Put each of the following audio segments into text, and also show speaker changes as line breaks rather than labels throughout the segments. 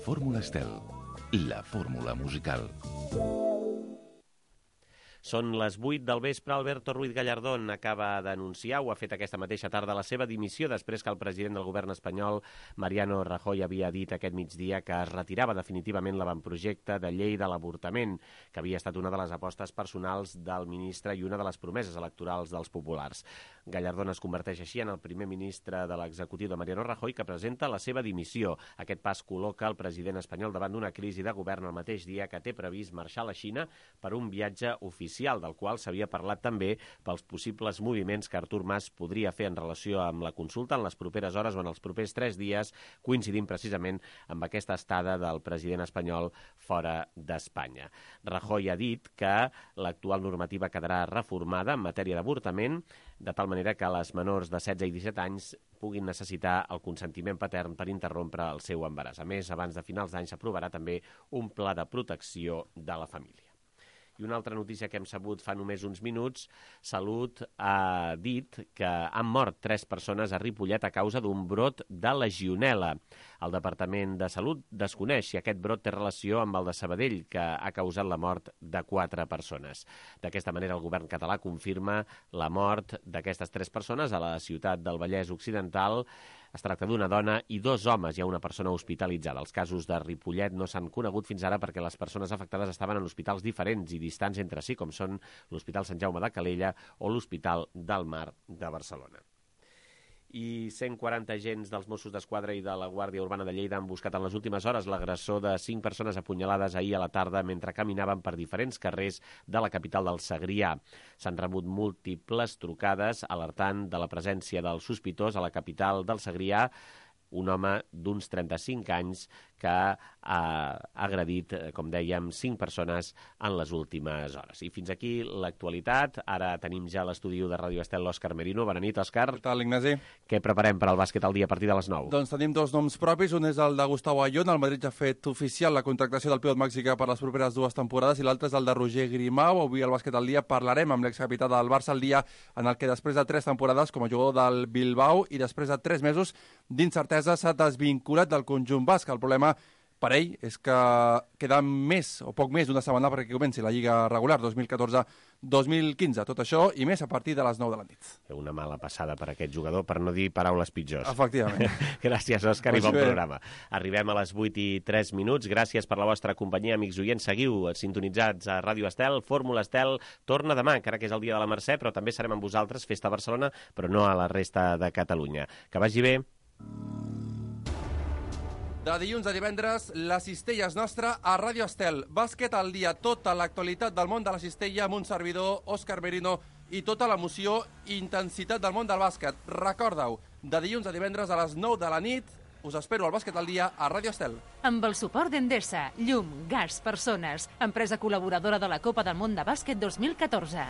Fórmula Estel, la fórmula musical.
Són les 8 del vespre. Alberto Ruiz Gallardón acaba d'anunciar, o ha fet aquesta mateixa tarda, la seva dimissió després que el president del govern espanyol, Mariano Rajoy, havia dit aquest migdia que es retirava definitivament l'avantprojecte de llei de l'avortament, que havia estat una de les apostes personals del ministre i una de les promeses electorals dels populars. Gallardón es converteix així en el primer ministre de l'executiu de Mariano Rajoy que presenta la seva dimissió. Aquest pas col·loca el president espanyol davant d'una crisi de govern el mateix dia que té previst marxar a la Xina per un viatge oficial, del qual s'havia parlat també pels possibles moviments que Artur Mas podria fer en relació amb la consulta en les properes hores o en els propers 3 dies, coincidint precisament amb aquesta estada del president espanyol fora d'Espanya. Rajoy ha dit que l'actual normativa quedarà reformada en matèria d'avortament, de tal manera que les menors de 16 i 17 anys puguin necessitar el consentiment patern per interrompre el seu embaràs. A més, abans de finals d'any s'aprovarà també un pla de protecció de la família. I una altra notícia que hem sabut fa només uns minuts, Salut ha dit que han mort 3 persones a Ripollet a causa d'un brot de legionel·la. El Departament de Salut desconeix si aquest brot té relació amb el de Sabadell, que ha causat la mort de 4 persones. D'aquesta manera, el govern català confirma la mort d'aquestes 3 persones a la ciutat del Vallès Occidental. Es tracta d'una dona i 2 homes. Hi ha una persona hospitalitzada. Els casos de Ripollet no s'han conegut fins ara perquè les persones afectades estaven en hospitals diferents i distants entre si, com són l'Hospital Sant Jaume de Calella o l'Hospital del Mar de Barcelona. I 140 agents dels Mossos d'Esquadra i de la Guàrdia Urbana de Lleida han buscat en les últimes hores l'agressor de 5 persones apunyalades ahir a la tarda mentre caminaven per diferents carrers de la capital del Segrià. S'han rebut múltiples trucades alertant de la presència del sospitós a la capital del Segrià, un home d'uns 35 anys que ha agredit, com dèiem, 5 persones en les últimes hores. I fins aquí l'actualitat. Ara tenim ja a l'estudi de Ràdio Estel l'Òscar Merino. Bona nit, Òscar.
Què tal, Ignasi?
Què preparem per al bàsquet al dia a partir de les 9?
Doncs tenim 2 noms propis. Un és el de Gustavo Ayón. El Madrid ja ha fet oficial la contractació del pivot mexicà per les properes 2 temporades, i l'altre és el de Roger Grimau. Avui al bàsquet al dia parlarem amb l'excapità del Barça al dia, en el que després de 3 temporades com a jugador del Bilbao i després de 3 mesos d'incertesa s'ha desvinculat del conjunt basc. El problema per ell és que queda més o poc més d'una setmana perquè comenci la Lliga regular 2014-2015. Tot això i més a partir de les 9 de la nit.
Una mala passada per aquest jugador, per no dir paraules pitjors.
Efectivament.
Gràcies, Òscar, i bon programa. Arribem a les 8:03. Gràcies per la vostra companyia, amics oients. Seguiu sintonitzats a Ràdio Estel. Fórmula Estel torna demà, encara que és el dia de la Mercè, però també serem amb vosaltres, Festa Barcelona, però no a la resta de Catalunya. Que vagi bé.
De dilluns a divendres, la cistella és nostra a Ràdio Estel. Bàsquet al dia, tota l'actualitat del món de la cistella amb un servidor, Òscar Merino, i tota l'emoció i intensitat del món del bàsquet. Recorda-ho, de dilluns a divendres a les 9 de la nit, us espero al Bàsquet al dia a Ràdio Estel.
Amb el suport d'Endesa, llum, gas, persones, empresa col·laboradora de la Copa del Món de Bàsquet 2014.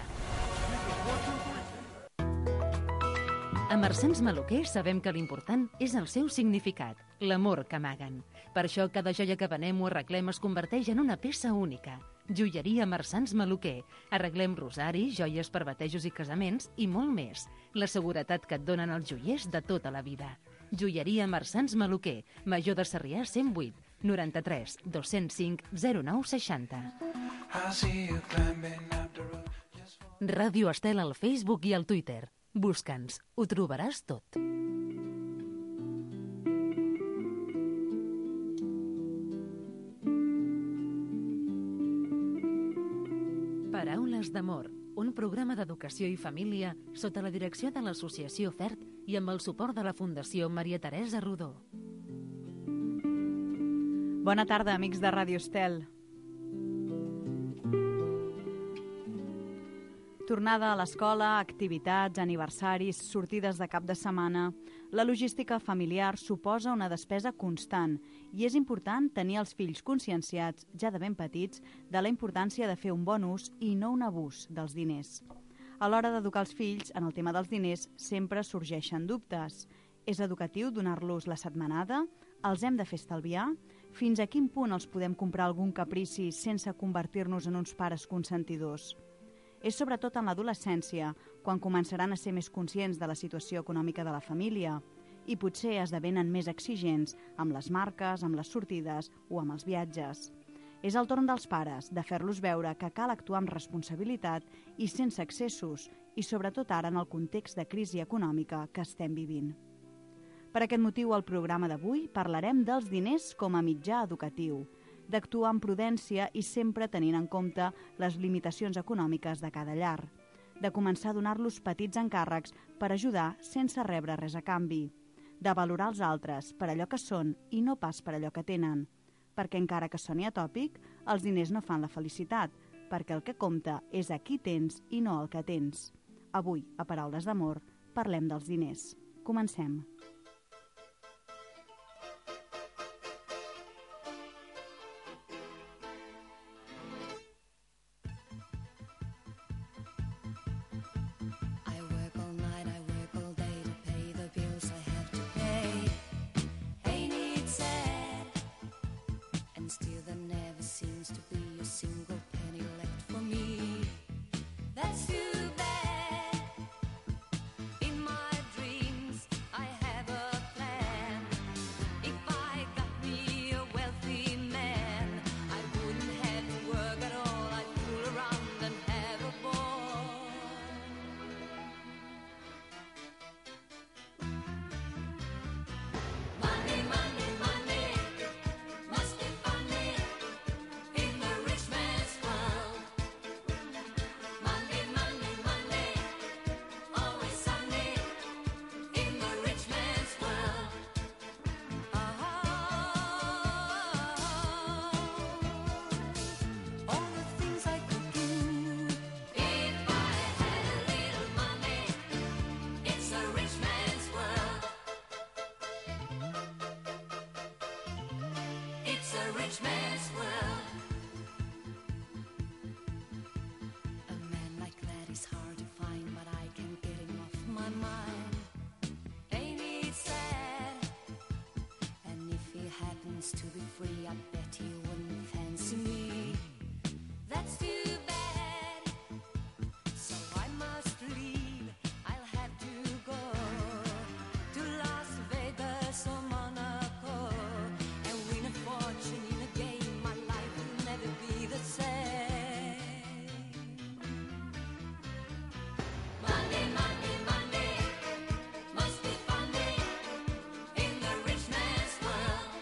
A Marsans Maluquer sabem que l'important és el seu significat, l'amor que amaguen. Per això cada joia que venem o arreglem es converteix en una peça única. Joieria Marsans Maluquer. Arreglem rosaris, joies per batejos i casaments i molt més. La seguretat que et donen els joiers de tota la vida. Joieria Marsans Maluquer, Major de Sarrià 108, 93 205 0960. Ràdio Estel al Facebook i al Twitter. Busca'ns, ho trobaràs tot. Paraules d'amor, un programa d'educació i família sota la direcció de l'Associació FERT i amb el suport de la Fundació Maria Teresa Rodó.
Bona tarda, amics de Ràdio Estel. Tornada a l'escola, activitats, aniversaris, sortides de cap de setmana... La logística familiar suposa una despesa constant i és important tenir els fills conscienciats, ja de ben petits, de la importància de fer un bon ús i no un abús dels diners. A l'hora d'educar els fills, en el tema dels diners, sempre sorgeixen dubtes. És educatiu donar-los la setmanada? Els hem de fer estalviar? Fins a quin punt els podem comprar algun caprici sense convertir-nos en uns pares consentidors? És sobretot en l'adolescència, quan començaran a ser més conscients de la situació econòmica de la família. i potser esdevenen més exigents amb les marques, amb les sortides o amb els viatges. És el torn dels pares de fer-los veure que cal actuar amb responsabilitat i sense excessos, i sobretot ara en el context de crisi econòmica que estem vivint. Per aquest motiu, al programa d'avui parlarem dels diners com a mitjà educatiu, d'actuar amb prudència i sempre tenint en compte les limitacions econòmiques de cada llar, de començar a donar-los petits encàrrecs per ajudar sense rebre res a canvi, de valorar els altres per allò que són i no pas per allò que tenen, perquè encara que soni atòpic, els diners no fan la felicitat, perquè el que compta és a qui tens i no el que tens. Avui, a Paraules d'Amor, parlem dels diners. Comencem.
To be free, I bet he wouldn't fancy me. That's too bad. So I must leave. I'll have to go to Las Vegas or Monaco and win a fortune in a game. My life will never be the same. Monday, Monday, Monday must be funny in the rich man's world.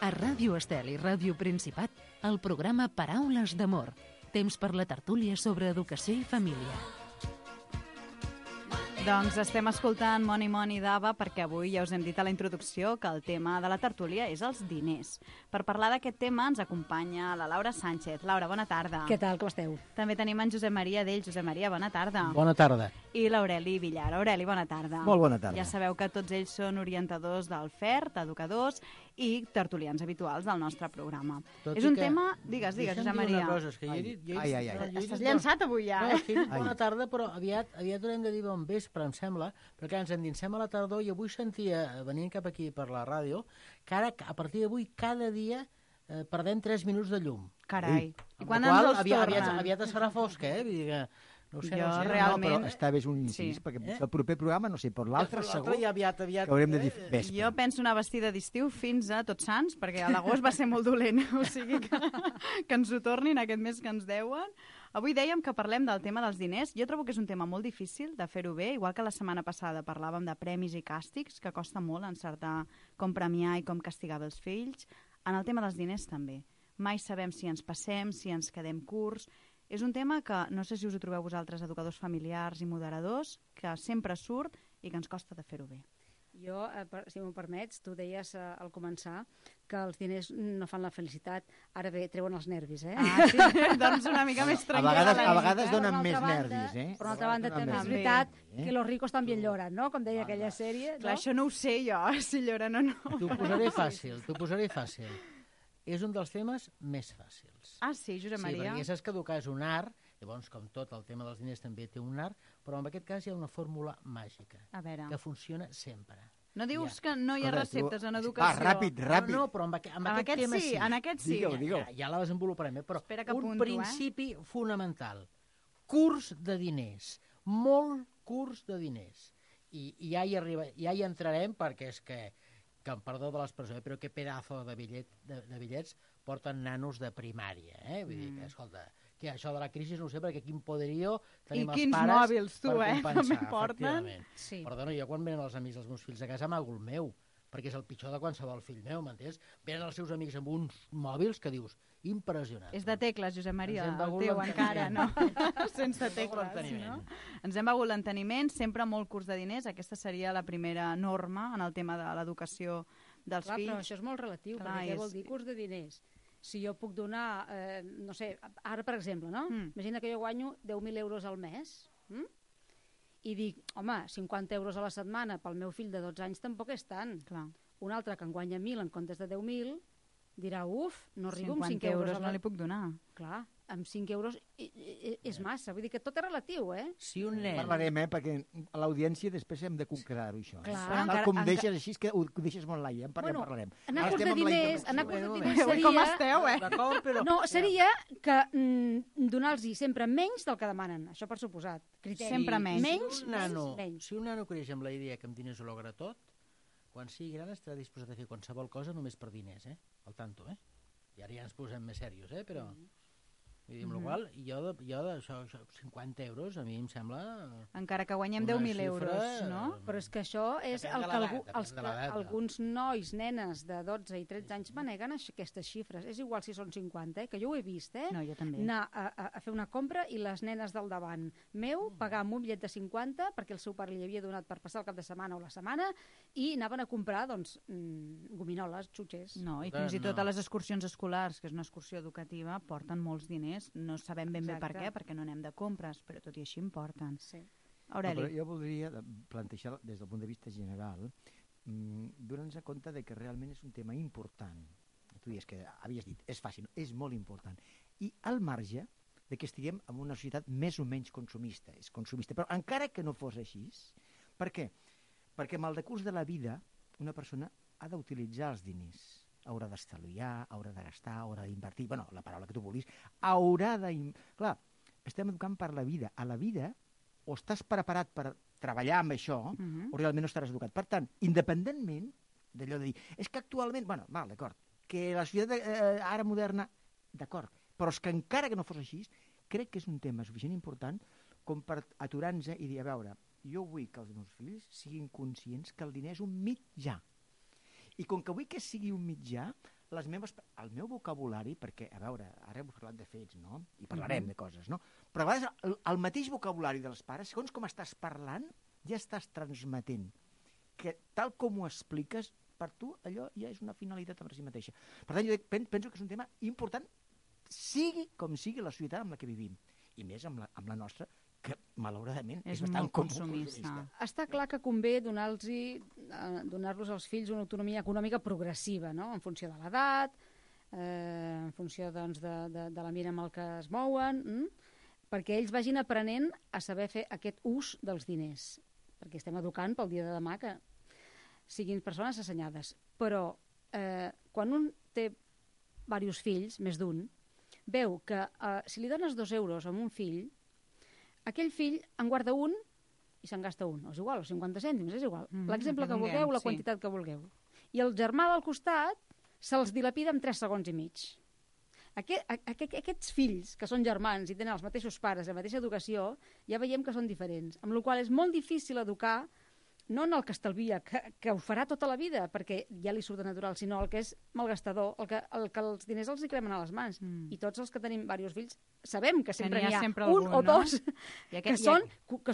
A Ràdio Estel i Ràdio Principat, el programa Paraules d'Amor. Temps per la tertúlia sobre educació i família.
Doncs estem escoltant Moni Moni d'Ava perquè avui ja us hem dit a la introducció que el tema de la tertúlia és els diners. Per parlar d'aquest tema ens acompanya la Laura Sánchez. Laura, bona tarda.
Què tal, com esteu?
També tenim en Josep Maria d'Ell. Josep Maria, bona tarda.
Bona tarda.
I l'Aureli Villar. Aureli, bona tarda.
Molt bona tarda.
Ja sabeu que tots ells són orientadors del FERT, educadors i tertulians habituals del nostre programa.
Tot
és un tema... Digues, Josep Maria.
Una cosa, és que jo he dit...
Estàs llançat avui ja,
No, sí, bona tarda, però aviat haurem de dir bon vespre, em sembla, perquè ens endinsem a la tardor i avui sentia, venint cap aquí per la ràdio, que ara, a partir d'avui, cada dia perdem 3 minuts de llum.
Carai. I quan
ens
els tornen?
Aviat es farà fosc, Vull dir que... No ho sé,
Jo
no sé.
realment...
No, però està bé un incís, perquè el proper programa, no sé, per l'altre segur
I aviat,
que haurem de dir vespre.
Jo penso una vestida d'estiu fins a Tots Sants, perquè a l'agost va ser molt dolent, o sigui que ens ho tornin aquest mes que ens deuen. Avui dèiem que parlem del tema dels diners. Jo trobo que és un tema molt difícil de fer-ho bé, igual que la setmana passada parlàvem de premis i càstigs, que costa molt encertar com premiar i com castigar els fills. En el tema dels diners també. Mai sabem si ens passem, si ens quedem curts. És un tema que no sé si us ho trobeu vosaltres, educadors familiars i moderadors, que sempre surt i que ens costa de fer-ho bé.
Jo, si m'ho permets, tu deies al començar que els diners no fan la felicitat. Ara bé, treuen els nervis,
Ah, sí? Doncs una mica més tranquil·la.
A vegades donen més nervis,
Per una altra banda, també és veritat que los ricos també lloren, no? Com deia aquella sèrie.
Clar, això no ho sé jo, si lloren o no.
T'ho posaré fàcil. és un dels temes més fàcils.
Ah, sí, Josep
Sí,
Maria?
perquè saps que educar és un art, llavors, com tot, el tema dels diners també té un art, però en aquest cas hi ha una fórmula màgica,
A veure,
que funciona sempre.
no dius que no hi ha
Escolta, tu-
receptes en
Va,
educació?
ràpid.
No, però amb
En
aquest
aquest
tema
sí, en aquest sí.
Digue'l.
Ja la desenvoluparem, però
Espera que
un
apunto,
principi fonamental. Curs de diners. Molt curs de diners. I ja hi entrarem perquè és que em perdó de l'expressió, però que pedazo de bitllets porten nanos de primària. Vull dir que, escolta, que això de la crisi no ho sé, perquè quin poderío tenim els
quins
pares
mòbils, tu,
per compensar,
també porten.
efectivament.
Sí.
Perdona, jo quan venen els amics dels meus fills a casa amago el meu, perquè és el pitjor de qualsevol fill meu, m'entens? Venen els seus amics amb uns mòbils que dius, impressionant.
És de tecles, Josep Maria,
Ens hem
el
begut
teu
l'enteniment.
encara, no? Sense
Ens hem begut
tecles, no?
l'enteniment.
Ens hem begut l'enteniment, sempre molt curs de diners. Aquesta seria la primera norma en el tema de l'educació dels
Clar, però
fills.
això és molt relatiu,
Clar,
perquè què
és-
vol dir curs de diners? Si jo puc donar, no sé, ara per exemple, no? Imagina que jo guanyo 10.000 euros al mes, i dic, home, 50 euros a la setmana pel meu fill de 12 anys tampoc és tant.
Clar.
Un altre que en guanya 1.000 en comptes de 10.000 dirà, no arribo amb 5
50
euros.
no li puc donar.
Clar, amb 5 euros és massa. Vull dir que tot és relatiu,
Si un nen...
Parlarem, perquè a l'audiència després hem de concretar-ho, això.
Clar.
Tal
Encara-
com deixes així, és que ho deixes molt l'aire. En parlarem.
Anar
Ara
a curs
estem
de
amb la
diners,
intervenció.
anar a curs de
Bueno,
diners
Ui,
seria...
com esteu,
D'acord, però...
No, seria que donar-los sempre menys del que demanen, això per suposat. Criteri.
Sempre menys.
Menys.
Si un nano creix amb la idea que amb diners ho logra tot, quan sigui gran estarà disposat a fer qualsevol cosa només per diners, Al tanto, I ara ja ens posem més serios, però... Vull dir, amb la qual jo d'això, 50 euros, a mi em sembla...
Encara que guanyem
una
10.000
xifra,
euros, no?
Però és que això és
Depèn
el
de
que
l'edat, depèn de l'edat, no?
alguns nois, nenes de 12 i 13 anys maneguen aquestes xifres. És igual si són 50, que jo ho he vist,
No, jo també.
anar a fer una compra i les nenes del davant meu pagar amb un bitllet de 50 perquè el seu pare li havia donat per passar el cap de setmana o la setmana i anaven a comprar, doncs, gominoles, xutxes.
No, i
Escolta,
fins i tot
no.
a les excursions escolars, que és una excursió educativa, porten molts diners. No sabem ben bé per
Exacte.
què, perquè no anem de compres, però tot i així en porten.
Sí.
Aureli.
No, però jo voldria plantejar des del punt de vista general, donant-nos compte de que realment és un tema important. Tu dius que havies dit, és fàcil, és molt important. I al marge de que estiguem en una societat més o menys consumista, és consumista, però encara que no fos així, per què? Perquè amb el decurs de la vida una persona ha d'utilitzar els diners, haurà d'estalviar, haurà de gastar, haurà d'invertir, bueno, la paraula que tu vulguis, haurà de... Clar, estem educant per la vida. A la vida o estàs preparat per treballar amb això o realment no estaràs educat. Per tant, independentment d'allò de dir, és que actualment, bueno, val, d'acord, que la societat ara moderna, d'acord, però és que encara que no fos així, crec que és un tema suficient important com per aturar-nos i dir, a veure, jo vull que els meus fills siguin conscients que el diner és un mitjà. I com que vull que sigui un mitjà, el meu vocabulari, perquè, a veure, ara hem parlat de fets, no? I parlarem de coses, no? Però a vegades el mateix vocabulari dels pares, segons com estàs parlant, ja estàs transmetent que tal com ho expliques, per tu allò ja és una finalitat per si mateixa. Per tant, jo penso que és un tema important, sigui com sigui la societat amb la que vivim, i més amb la nostra, que malauradament és bastant
molt consumista.
Està clar que convé donar-los als fills una autonomia econòmica progressiva, no? En funció de l'edat, en funció doncs, de la mira amb el que es mouen, perquè ells vagin aprenent a saber fer aquest ús dels diners, perquè estem educant pel dia de demà que siguin persones assenyades. Però quan un té diversos fills, més d'un, veu que si li dones 2 euros a un fill, aquell fill en guarda un i se'n gasta un. És igual, o 50 cèntims, és igual. L'exemple que vulgueu, la quantitat que vulgueu. I el germà del costat se'ls dilapida en 3 segons i mig. Aquests fills, que són germans i tenen els mateixos pares, la mateixa educació, ja veiem que són diferents. Amb la qual cosa és molt difícil educar no en el que estalvia, que ho farà tota la vida, perquè ja li surt de natural, sinó el que és malgastador, el que els diners els hi cremen a les mans. I tots els que tenim diversos fills sabem que sempre n'hi ha un o dos que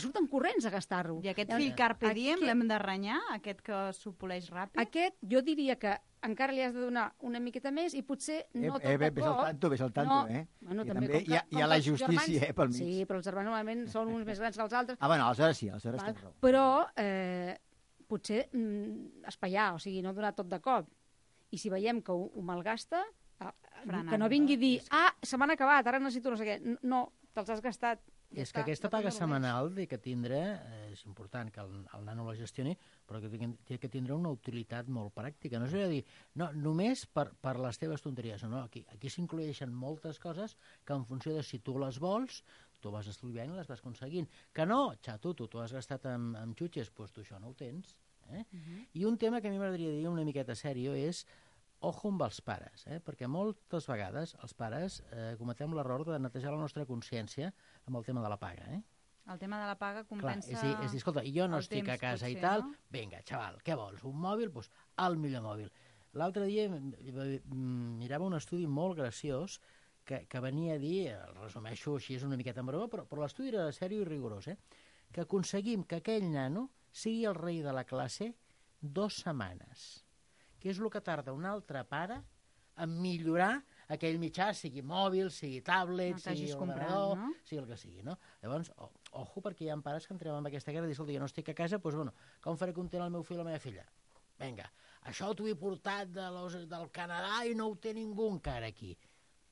surten corrents a gastar-ho.
I aquest fill carpe diem l'hem de renyar, aquest que s'opoleix ràpid?
Aquest, jo diria que encara li has de donar una miqueta més i potser no tot de cop.
Ves al tanto,
Bueno,
I també hi ha la justícia, pel mig.
Sí, però els germans normalment són uns més grans que els altres.
Bueno, aleshores sí, aleshores tens raó.
Però potser espaiar, o sigui, no donar tot de cop. I si veiem que ho malgasta, que no vingui a dir, se m'han acabat, ara necessito no sé què. No, te'ls has gastat.
És que aquesta paga setmanal que tindrà, és important que el nano la gestioni, però que té que tindre una utilitat molt pràctica. No és a dir, no, només per les teves tonteries. No, aquí s'inclueixen moltes coses que en funció de si tu les vols, tu vas estudiant i les vas aconseguint. Que no, xato, tu has gastat amb xutxes, doncs tu això no ho tens. I un tema que a mi m'agradaria dir una miqueta sèrio és ojo amb els pares, perquè moltes vegades els pares cometem l'error de netejar la nostra consciència amb el tema de la paga.
El tema de la paga compensa...
Clar, és dir, escolta, jo no estic a casa
potser,
i tal,
no?
vinga, xaval, què vols, un mòbil? Doncs el millor mòbil. L'altre dia mirava un estudi molt graciós que venia a dir, el resumeixo així, és una miqueta en broma, però l'estudi era sèrio i rigorós, que aconseguim que aquell nano sigui el rei de la classe 2 setmanes, que és el que tarda un altre pare en millorar aquell mitjà, sigui mòbil, sigui tablet, sigui ordenador,
no?
sigui el que sigui, no? Llavors, ojo, perquè hi ha pares que entrem en aquesta guerra i diuen, escolta, jo no estic a casa, doncs, bueno, com faré content el meu fill o la meva filla? Vinga, això t'ho he portat del Canadà i no ho té ningú encara aquí.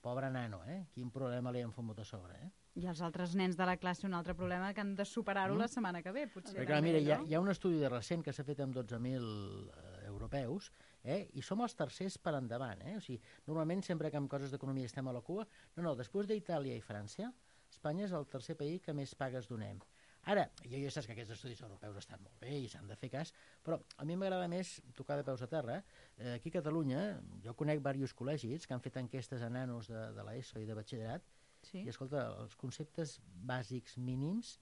Pobre nano, quin problema li han fotut a sobre,
I els altres nens de la classe, un altre problema que han de superar-ho la setmana que ve, potser.
Perquè, mira, hi ha un estudi de recent que s'ha fet amb 12.000 europeus, i som els tercers per endavant. O sigui, normalment, sempre que en coses d'economia estem a la cua, no, després d'Itàlia i França, Espanya és el tercer país que més pagues donem. Ara, jo ja saps que aquests estudis europeus estan molt bé i s'han de fer cas, però a mi m'agrada més tocar de peus a terra. Aquí a Catalunya, jo conec diversos col·legis que han fet enquestes a nanos de l'ESO i de batxillerat, i, escolta, els conceptes bàsics mínims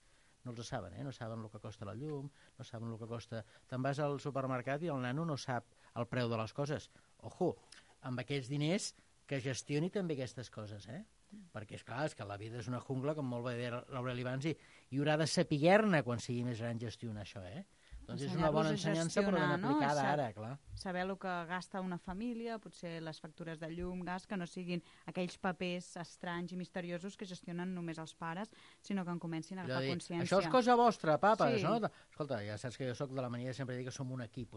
no els saben, no saben el que costa la llum, no saben el que costa... Te'n vas al supermercat i el nano no sap el preu de les coses. Ojo, amb aquests diners que gestioni també aquestes coses, perquè, és que la vida és una jungla, com molt bé dir l'Aureli abans, i haurà de saber-ne quan sigui més gran gestionar això, Doncs és una bona ensenyança, però ben aplicada ara, clar.
Saber el que gasta una família, potser les factures de llum, gas, que no siguin aquells papers estranys i misteriosos que gestionen només els pares, sinó que en comencin a agafar consciència.
Això és cosa vostra, papes,
Sí.
no? Escolta, ja saps que jo soc de la mania de sempre dir que som un equip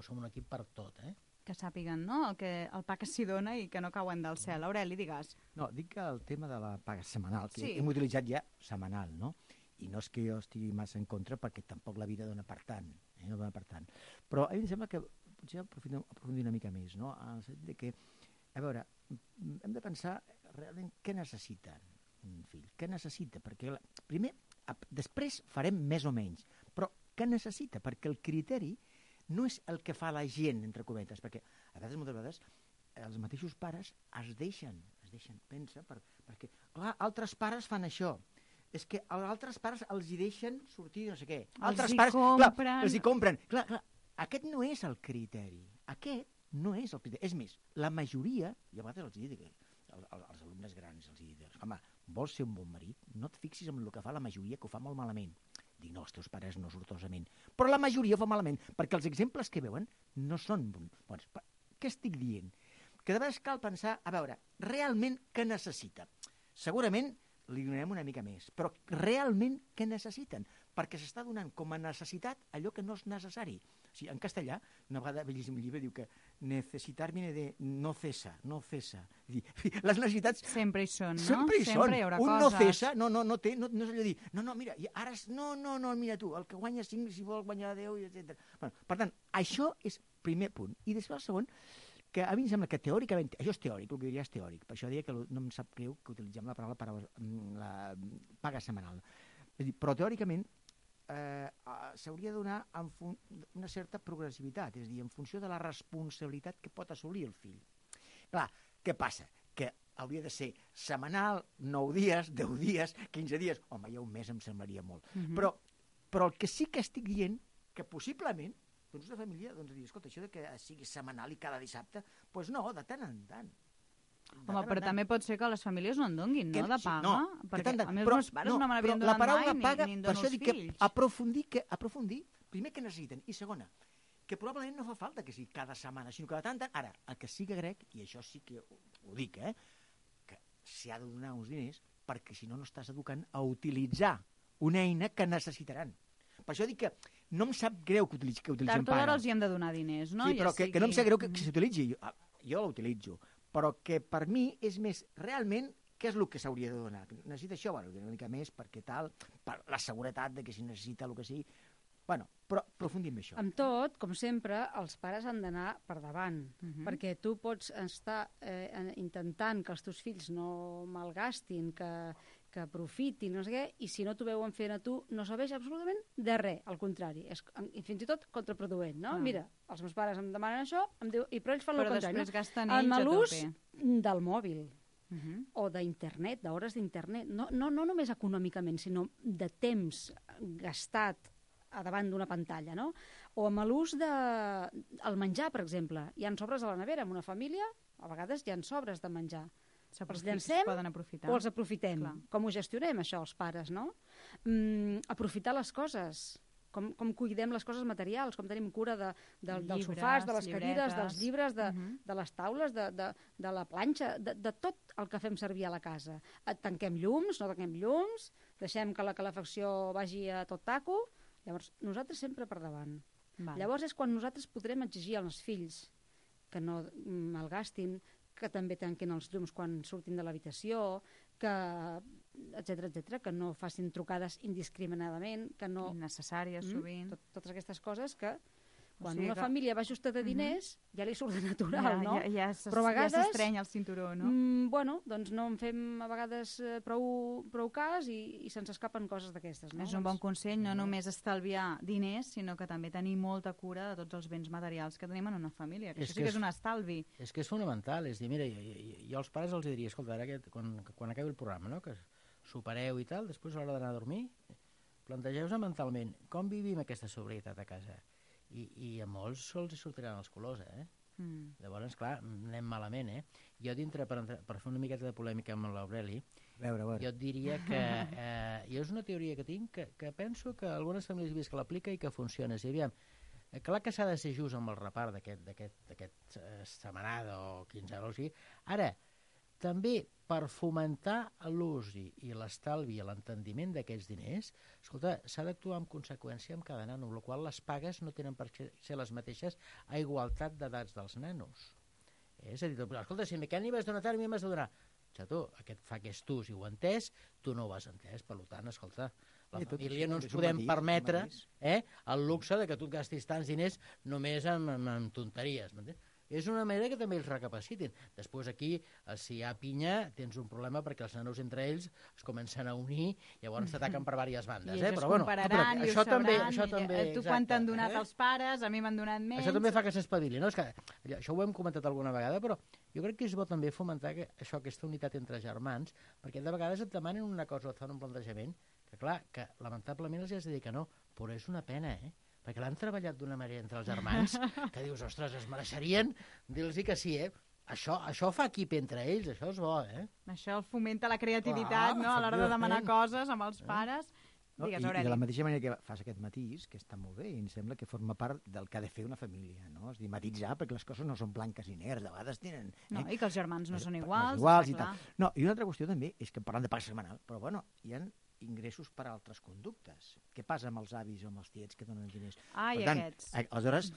per tot,
Que sàpiguen, no?, el pa que s'hi dona i que no cauen del cel. Aureli, digues.
No, dic que el tema de la paga setmanal, que
Sí.
hem utilitzat ja setmanal, no? I no és que jo estigui massa en contra, perquè tampoc la vida dona per tant, no dona per tant. Però a mi em sembla que potser aprofundir una mica més, no? En el sentit de que, a veure, hem de pensar realment què necessita un fill, què necessita, perquè primer, després farem més o menys, però què necessita? Perquè el criteri no és el que fa la gent, entre cometes, perquè a vegades, moltes vegades, els mateixos pares es deixen pensa, perquè, clar, altres pares fan això, és que als altres pares els hi deixen sortir no sé què. Altres pares, clar, els hi compren. Clar, aquest no és el criteri. Aquest no és el criteri. És més, la majoria, i a vegades els dic, els alumnes grans els dic, home, vols ser un bon marit? No et fixis en el que fa la majoria, que ho fa molt malament. Dic, no, els teus pares no sortosament. Però la majoria ho fa malament, perquè els exemples que veuen no són bons. Què estic dient? Que de vegades cal pensar, a veure, realment què necessita? Segurament li donarem una mica més, però realment què necessiten? Perquè s'està donant com a necessitat allò que no és necessari. O sigui, en castellà, una vegada bellíssim llibre diu que necessitar viene de no cesa, no cesa. Les necessitats...
Sempre hi són, no?
Sempre hi són.
Hi haurà
un
coses.
no cesa, no és allò de dir, no, mira, ara, no, mira tu, el que guanya 5, si vol guanyar 10, etc. Bueno, per tant, això és primer punt. I després el segon, que a mi em sembla que teòricament, això és teòric, el que diria és teòric, per això diria que no em sap greu que utilitzem la paraula la paga setmanal. És a dir, però teòricament s'hauria de donar una certa progressivitat, és a dir, en funció de la responsabilitat que pot assolir el fill. Clar, què passa? Que hauria de ser setmanal, 9 dies, 10 dies, 15 dies, home, ja un mes em semblaria molt. Però el que sí que estic dient, que possiblement doncs una família dir, escolta, això de que sigui setmanal i cada dissabte, doncs no, de tant en tant.
Home, però també pot ser que les famílies no en donguin, no, de paga?
No,
perquè a mi els meus pares no me n'havien donat mai, ni en dono els fills.
Aprofundir, primer que necessiten, i segona, que probablement no fa falta que sigui cada setmana, sinó que de tant en tant, ara, el que sí que crec, i això sí que ho dic, que s'hi ha de donar uns diners perquè si no, no estàs educant a utilitzar una eina que necessitaran. Per això dic que no em sap greu que utilitzem
Tard o d'hora els hi hem de donar diners, no?
Sí, però que no em sap greu que s'utilitzi. Jo l'utilitzo.
però que per mi és més realment què és el que s'hauria de donar. Necessita això, bueno, una mica més perquè tal, per la seguretat de que si necessita el que sigui. Bueno, però aprofundim això.
Amb tot, com sempre, els pares han d'anar per davant, perquè tu pots estar intentant que els teus fills no malgastin, que aprofitin, no sé què, i si no t'ho veuen fent a tu, no serveix absolutament de res, al contrari, és fins i tot contraproduent, no? Mira, els meus pares em demanen això, em diu, però ells fan el contrari,
després gasten
el
ells a
malús
tope.
del mòbil, o d'internet, d'hores d'internet, no només econòmicament, sinó de temps gastat a davant d'una pantalla, no? O amb l'ús del menjar, per exemple. Hi ha sobres a la nevera, en una família, a vegades hi ha sobres de menjar. Els llancem
poden aprofitar.
o els aprofitem?
Clar.
Com ho gestionem, això, els pares, no? Aprofitar les coses, com cuidem les coses materials, com tenim cura dels sofàs, de les cadires, dels llibres, de les taules, de la planxa, de tot el que fem servir a la casa. Tanquem llums, no tanquem llums, deixem que la calefacció vagi a tot taco. Llavors, nosaltres sempre per davant. Llavors és quan nosaltres podrem exigir als fills que no malgastin, que també tanquin els llums quan surtin de l'habitació, que etcètera, que no facin trucades indiscriminadament, que no...
Innecessàries, sovint.
Totes aquestes coses que quan una família va ajustar de diners, ja li surt de natural, no? Però a vegades...
Ja s'estreny el cinturó, no?
Bueno, doncs no en fem a vegades prou cas i se'ns escapen coses d'aquestes, no?
És un bon consell, no només estalviar diners, sinó que també tenir molta cura de tots els béns materials que tenim en una família. Que això sí que és un estalvi.
És que és fonamental. És dir, mira, jo als pares els diria, escolta, ara quan acabi el programa, no?, que supereu i tal, després a l'hora d'anar a dormir, plantegeu-vos mentalment com vivim aquesta sobrietat a casa. I a molts sols hi sortiran els colors, Llavors, clar, anem malament, Jo dintre, per fer una miqueta de polèmica amb l'Aureli, jo et diria que jo és una teoria que tinc que penso que algunes famílies he vist que l'aplica i que funciona. És a dir, aviam, clar que s'ha de ser just amb el repart d'aquest setmanada o quinzena o sigui. Ara, també per fomentar l'ús i l'estalvi i l'entendiment d'aquests diners, escolta, s'ha d'actuar en conseqüència amb cada nano, amb la qual cosa les pagues no tenen per ser les mateixes a igualtat d'edats dels nanos. És a dir, escolta, si aquest n'hi vas donar tant, a mi m'has de donar. Xato, aquest fa que és tu, si ho ha entès, tu no ho has entès, per tant, escolta, la família no ens podem permetre el luxe de que tu et gastis tants diners només amb tonteries, m'entens? És una manera que també ells recapacitin. Després aquí, si hi ha pinya, tens un problema perquè els nanos entre ells es comencen a unir i llavors t'ataquen per diverses bandes.
I ells
però,
es compararan i ho sabran.
Això també,
tu quan t'han donat els pares, a mi m'han donat menys.
Això també fa que s'espavili. No? És que, això ho hem comentat alguna vegada, però jo crec que és bo també fomentar aquesta unitat entre germans, perquè de vegades et demanen una cosa o et fan un plantejament que, clar, que lamentablement els has de dir que no, però és una pena, perquè l'han treballat d'una manera entre els germans que dius, ostres, es mereixerien dir-los que sí, Això fa equip entre ells, això és bo,
Això fomenta la creativitat, no?, a l'hora de demanar coses amb els pares. Digues, Aureli.
I de la mateixa manera que fas aquest matís, que està molt bé, i em sembla que forma part del que ha de fer una família, no? És dir, matitzar, perquè les coses no són blanques i negres, de vegades tenen...
No, i que els germans no són iguals.
I tal. No, i una altra qüestió també és que parlant de paga setmanal, però bueno, hi ha ingressos per a altres conductes. Què passa amb els avis o amb els tiets que donen diners?
Per tant,
aleshores,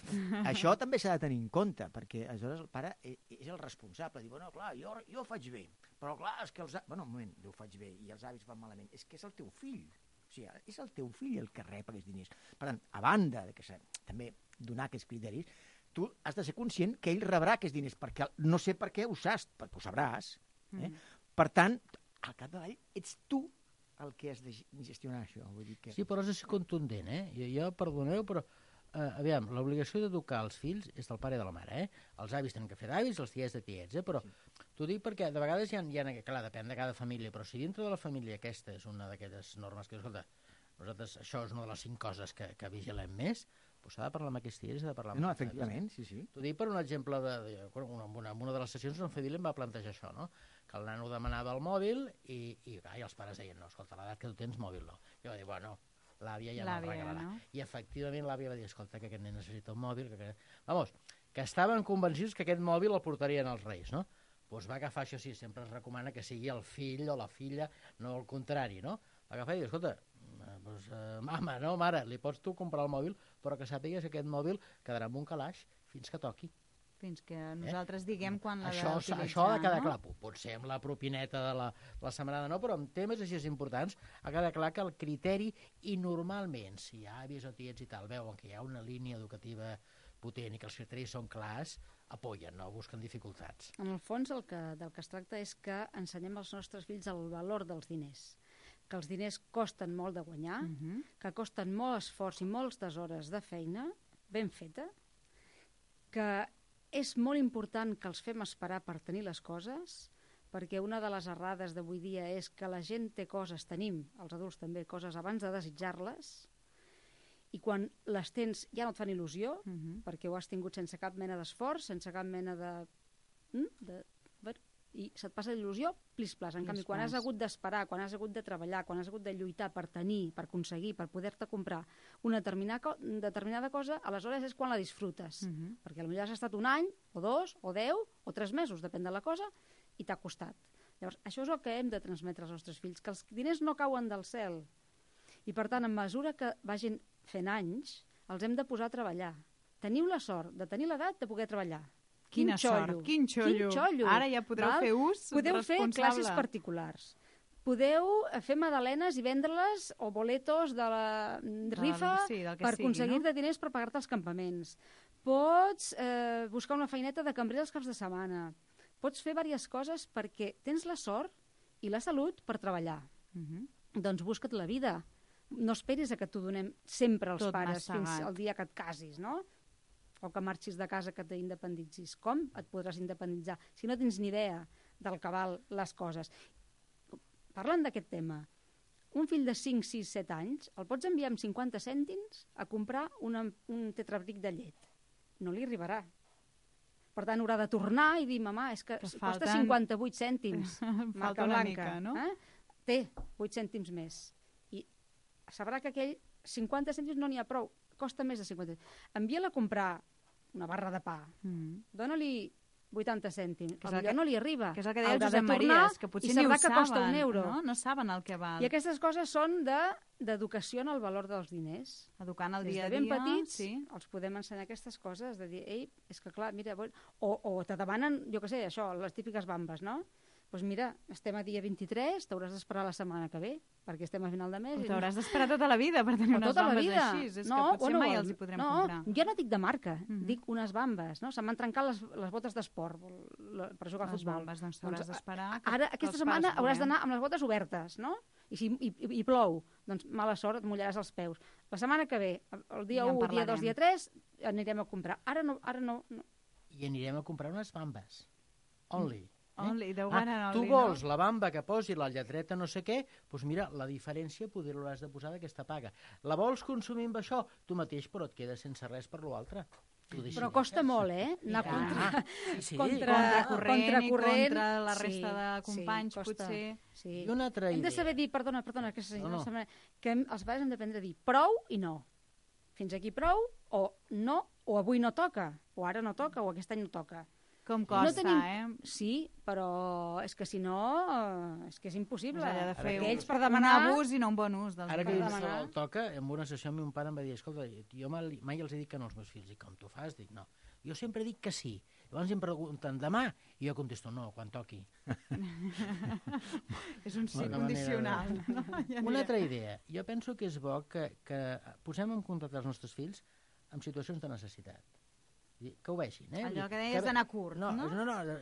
això també s'ha de tenir en compte, perquè aleshores el pare és el responsable. Diu, bueno, clar, jo ho faig bé, però clar, és que els... Bueno, un moment, jo ho faig bé i els avis van malament. És que és el teu fill. O sigui, és el teu fill el que rep aquests diners. Per tant, a banda de que també donar aquests criteris, tu has de ser conscient que ell rebrà aquests diners, perquè no sé per què ho saps, perquè ho sabràs. Per tant, al capdavall ets tu el que has de gestionar això. Vull dir que...
Sí, però has de ser contundent, Jo, perdoneu, però aviam, l'obligació d'educar els fills és del pare i de la mare, Els avis tenen que fer d'avis, els tiets de tiets, però t'ho dic perquè de vegades hi ha, clar, depèn de cada família, però si dintre de la família aquesta és una d'aquestes normes que, escolta, nosaltres això és una de les 5 coses que vigilem més, doncs s'ha de parlar amb aquests tiets, s'ha de parlar amb
aquests efectivament, sí.
T'ho dic per un exemple en una de les sessions en família em va plantejar això, no? Que el nano demanava el mòbil i els pares deien, no, escolta, l'edat que tu tens mòbil no. Jo vaig dir, bueno, l'àvia ja me'l regalarà. No? I efectivament l'àvia va dir, escolta, que aquest nen necessita un mòbil, que estaven convencidos que aquest mòbil el portarien als Reis, no? Doncs va agafar, això sí, sempre es recomana que sigui el fill o la filla, no el contrari, no? Va agafar i dir, escolta, mama, no, mare, li pots tu comprar el mòbil, però que sàpigues que aquest mòbil quedarà en un calaix fins que toqui.
fins que nosaltres diguem quan l'ha
Això
d'utilitzar,
ha de quedar
no?
clar. Potser amb la propineta de la setmanada no, però amb temes així importants ha de quedar clar que el criteri, i normalment, si avis o tiets i tal veuen que hi ha una línia educativa potent i que els criteris són clars, apoyen, no busquen dificultats.
En el fons, del que es tracta és que ensenyem als nostres fills el valor dels diners, que els diners costen molt de guanyar, que costen molt esforç i moltes hores de feina ben feta, que és molt important que els fem esperar per tenir les coses, perquè una de les errades d'avui dia és que la gent té coses, tenim, els adults també, coses abans de desitjar-les, i quan les tens ja no et fan il·lusió, perquè ho has tingut sense cap mena d'esforç, sense cap mena de... i se't passa l'il·lusió, plis-plas. En canvi, quan has hagut d'esperar, quan has hagut de treballar, quan has hagut de lluitar per tenir, per aconseguir, per poder-te comprar una determinada cosa, aleshores és quan la disfrutes. Perquè potser has estat un any, o 2, o 10, o 3 mesos, depèn de la cosa, i t'ha costat. Llavors, això és el que hem de transmetre als nostres fills, que els diners no cauen del cel. I, per tant, a mesura que vagin fent anys, els hem de posar a treballar. Teniu la sort de tenir l'edat de poder treballar.
Quina sort, quin xollo. Ara ja podreu fer ús responsable.
Podeu fer classes particulars. Podeu fer magdalenes i vendre-les o boletos de la rifa per aconseguir-te diners per pagar-te els campaments. Pots buscar una feineta de cambrer els caps de setmana. Pots fer diverses coses perquè tens la sort i la salut per treballar. Doncs busca't la vida. No esperis a que t'ho donem sempre als pares fins al dia que et casis, no? O que marxis de casa, que t'independitzis. Com et podràs independitzar si no tens ni idea del que val les coses? Parlant d'aquest tema, un fill de 5, 6, 7 anys el pots enviar amb 50 cèntims a comprar un tetrabric de llet. No li arribarà. Per tant, haurà de tornar i dir, mamà, és que costa 58 cèntims.
Falta una mica, no?
Té 8 cèntims més. I sabrà que aquell 50 cèntims no n'hi ha prou. Costa més de 50 cèntims. Envia-la a comprar una barra de pa. Dóna-li 80 cèntims. Potser no li arriba.
Que és el que deia el Josep Maries, que potser ni ho saben,
costa €1.
No saben el que val.
I aquestes coses són d'educació en el valor dels diners.
Educant el dia a dia.
Des de ben petits els podem ensenyar aquestes coses, de dir, ei, és que clar, mira... O te demanen, jo què sé, això, les típiques bambes, no? Doncs mira, estem a dia 23, t'hauràs d'esperar la setmana que ve, perquè estem a final de mes.
T'hauràs d'esperar tota la vida per tenir unes bambes així. És que potser mai els hi podrem comprar.
Jo no dic de marca, dic unes bambes, no? Se m'han trencat les botes d'esport per jugar a futbol.
Les bambes, doncs t'hauràs d'esperar.
Ara, aquesta setmana hauràs d'anar amb les botes obertes, no? I plou, doncs mala sort, et mullaràs els peus. La setmana que ve, el dia 1, dia 2, dia 3, anirem a comprar. Ara no.
I anirem a comprar unes bambes. Only.
Tu
vols la bamba que posi la lletreta no sé què, doncs mira, la diferència poder l'hauràs de posar d'aquesta paga. La vols consumir amb això? Tu mateix, però et quedes sense res per l'altre.
Però costa molt, anar
contracorrent i contra la resta de companys, potser.
I una altra idea.
Hem de saber dir, perdona, que els pares hem d'aprendre a dir prou i no. Fins aquí prou, o no, o avui no toca, o ara no toca, o aquest any no toca.
Com costa,
Sí, però és que si no, és que és impossible.
Has de fer
un
abús i no un bon ús.
Ara que el toca, en una sessió meu pare em va dir, escolta, jo mai els he dit que no als meus fills. I com tu fas? Dic, no. Jo sempre dic que sí. Llavors em pregunten, demà? I jo contesto, no, quan toqui.
És un sí condicional.
Una altra idea. Jo penso que és bo que posem en contacte els nostres fills en situacions de necessitat. Que ho vegin,
Allò que deies d'anar curt, no?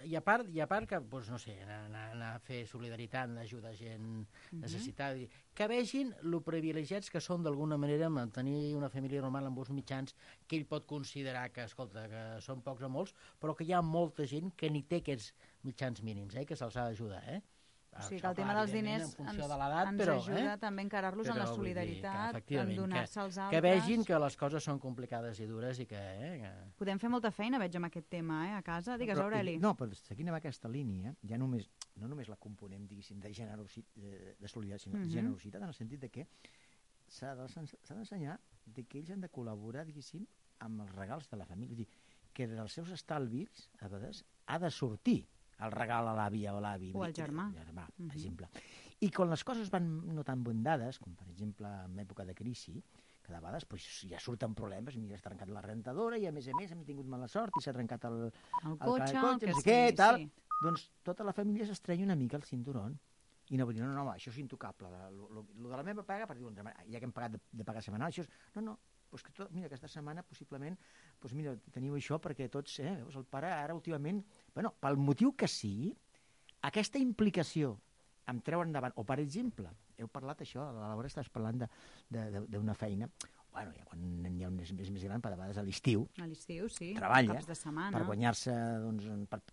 I a part que, doncs, no sé, anar a fer solidaritat, ajuda a gent necessitada, que vegin lo privilegiats que són d'alguna manera mantenir una família normal amb uns mitjans que ell pot considerar que, escolta, que són pocs o molts, però que hi ha molta gent que ni té aquests mitjans mínims, que se'ls ha d'ajudar,
O sigui que el tema dels diners ens ajuda també a encarar-los en la solidaritat, en donar-se als altres.
Que vegin que les coses són complicades i dures i que...
Podem fer molta feina, veig, amb aquest tema, a casa. Digues, Aureli.
No, però seguint amb aquesta línia, ja no només la component, diguéssim, de solidaritat, sinó de generositat, en el sentit de que s'ha d'ensenyar que ells han de col·laborar, diguéssim, amb els regals de la família. És a dir, que dels seus estalvis, a vegades, ha de sortir el regal a l'àvia o l'avi.
O al germà.
Per exemple. I quan les coses van no tan ben dades, com per exemple en època de crisi, que que de vegades pues, ja surten problemes, mira, s'ha trencat la rentadora i a més hem tingut mala sort i s'ha trencat el
cotxe,
no sé què, tal. Doncs tota la família s'estrenya una mica el cinturón i no vull dir, no, això és intocable. Lo de la meva paga, perquè ja que hem pagat de pagar setmanal, això és... No, pues que mira, aquesta setmana possiblement, pues mira, teniu això perquè tots, veus, el pare ara últimament, bueno, pel motiu que sigui, aquesta implicació em treure endavant, o per exemple, heu parlat això, a l'hora estàs parlant d'una feina, bueno, ja quan n'hi ha un més gran, per a vegades a l'estiu,
sí,
treballa
caps de setmana,
per guanyar-se, doncs,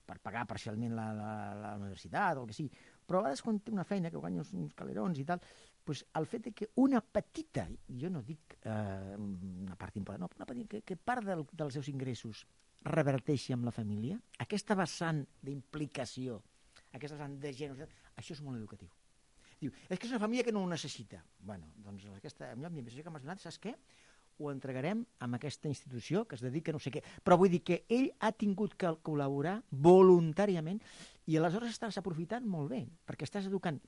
per pagar parcialment la universitat o el que sigui, però a vegades quan té una feina que guanya uns calerons i tal, doncs el fet que una petita, jo no dic una part important, no, una petita, que part dels seus ingressos reverteixi amb la família, aquesta vessant d'implicació, aquesta vessant de generositat, això és molt educatiu. Diu, és que és una família que no ho necessita. Bueno, doncs aquesta missatge que m'has donat, saps què? Ho entregarem a aquesta institució que es dedica a no sé què. Però vull dir que ell ha tingut que col·laborar voluntàriament i aleshores estàs aprofitant molt bé, perquè estàs educant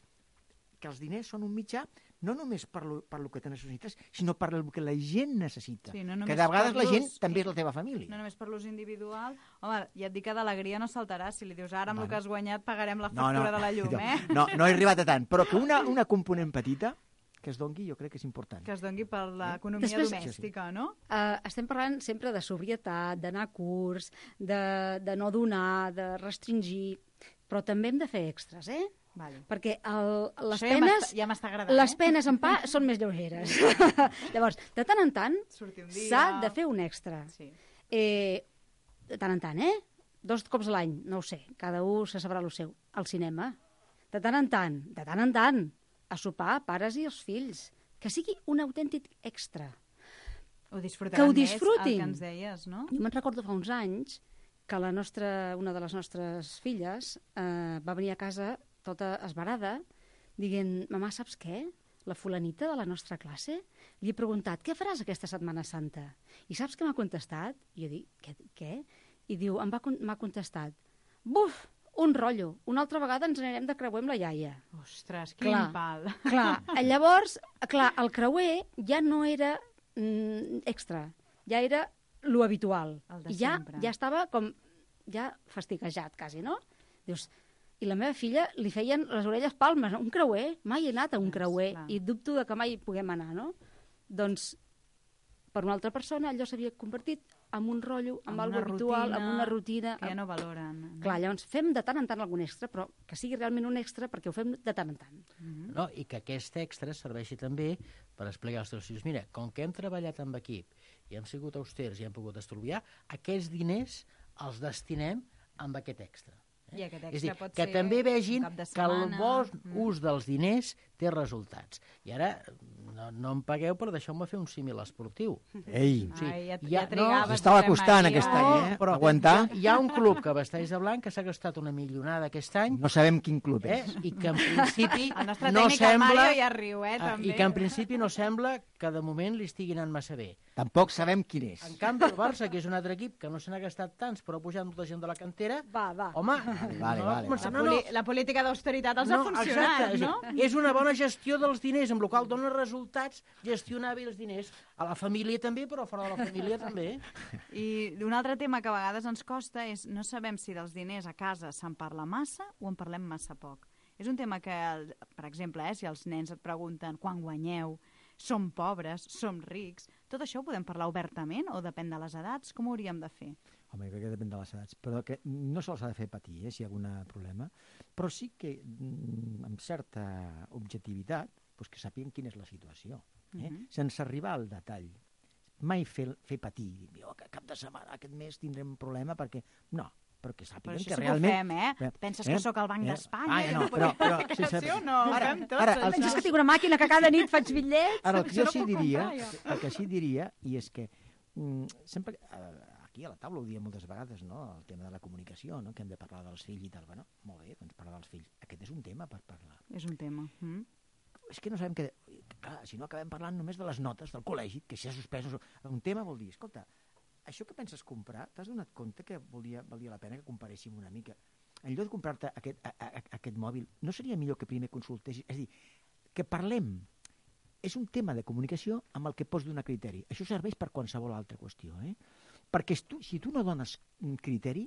que els diners són un mitjà no només per lo que te necessites, sinó per el que la gent necessita.
Sí, no
que de vegades la gent també és la teva família.
No només per l'ús individual. Home, ja et dic que d'alegria no saltarà. Si li dius ara amb el que has guanyat pagarem la factura de la llum,
No he arribat a tant, però que una component petita que es dongui jo crec que és important.
Que es dongui per l'economia domèstica, no?
Estem parlant sempre de sobrietat, d'anar a curs, de no donar, de restringir, però també hem de fer extras,
Vale.
Perquè les
això
penes
ja m'està agradant,
les penes en pa són més lleugeres. Llavors, de tant en tant s'ha de fer un extra.
Sí.
De tant en tant, 2 cops a l'any, no ho sé, cada un se sabrà el seu. Al cinema, de tant en tant, a sopar, pares i els fills. Que sigui un autèntic extra.
Ho disfrutaran
que ho
més,
disfrutin.
el que ens deies, no?
Jo me'n recordo fa uns anys que una de les nostres filles va venir a casa tota esbarada, dient, mamà, saps què? La fulanita de la nostra classe li he preguntat, què faràs aquesta Setmana Santa? I saps què m'ha contestat? I jo dic, què? I diu, m'ha contestat, buf, un rotllo, una altra vegada ens anirem de creuer amb la iaia.
Ostres, quin pal.
Clar, llavors, el creuer ja no era extra, ja era lo habitual.
El de
I ja estava com, ja fastiguejat, quasi, no? Dius, i la meva filla li feien les orelles palmes, un creuer, mai he anat a un creuer, i dubto de que mai puguem anar, no? Doncs, per una altra persona, allò s'havia convertit en un rotllo, en algo habitual, en una rutina...
Que ja no valoren.
Clar, llavors fem de tant en tant algun extra, però que sigui realment un extra perquè ho fem de tant en tant.
No, i que aquest extra serveixi també per explicar als teus fills, mira, com que hem treballat amb equip i hem sigut austers i hem pogut estalviar, aquests diners els destinem amb aquest extra.
I aquest extra
és dir,
pot
que
ser
també vegin
un cap de
que el
setmana.
bon ús dels diners té resultats. I ara no em pagueu per deixar-me fer un símil esportiu.
Ei!
Ja trigaves.
S'estava costant aquest any,
però
aguantar.
Hi ha un club que vesteix de blanc que s'ha gastat una milionada aquest any.
No sabem quin club és.
I que en principi
El nostre
no
tècnic, el Mario, ja riu, també.
I que en principi no sembla que de moment li estigui anant massa bé.
Tampoc sabem quin és.
En canvi, el Barça, que és un altre equip que no se n'ha gastat tants, però ha pujat molta gent de la cantera, home,
La política d'austeritat els ha funcionat,
exacte,
no?
És una bona gestió dels diners, amb la qual dona resultats gestionar bé els diners. A la família també, però fora de la família també.
I un altre tema que a vegades ens costa és no sabem si dels diners a casa se'n parla massa o en parlem massa poc. És un tema que, per exemple, si els nens et pregunten quan guanyeu, som pobres, som rics, tot això ho podem parlar obertament o depèn de les edats? Com ho hauríem de fer?
Home, jo crec que depèn de les edats, però que no se'ls ha de fer patir, si hi ha algun problema, però sí que amb certa objectivitat doncs que sàpiguen quina és la situació, sense arribar al detall. Mai fer patir, que cap de setmana, aquest mes tindrem un problema perquè... No, però que sàpiguen que realment...
Però això sí que ho fem, Penses que sóc al Banc d'Espanya?
No, però...
No, ho fem tots,
Penses que tinc una màquina que cada nit faig bitllets?
Ara, el que jo sí diria, i és que sempre... Aquí a la taula ho diem moltes vegades, no? El tema de la comunicació, no? Que hem de parlar dels fills i tal. Bueno, molt bé, doncs parlar dels fills. Aquest és un tema per parlar.
És un tema.
És que no sabem que... Clar, si no acabem parlant només de les notes del col·legi, que si ha suspès... Un tema vol dir, escolta, això que penses comprar, t'has donat compte que valia la pena que comparéssim una mica? En lloc de comprar-te aquest mòbil, no seria millor que primer consultessis? És a dir, que parlem és un tema de comunicació amb el que pots donar criteri. Això serveix per qualsevol altra qüestió, Perquè si tu no dones un criteri,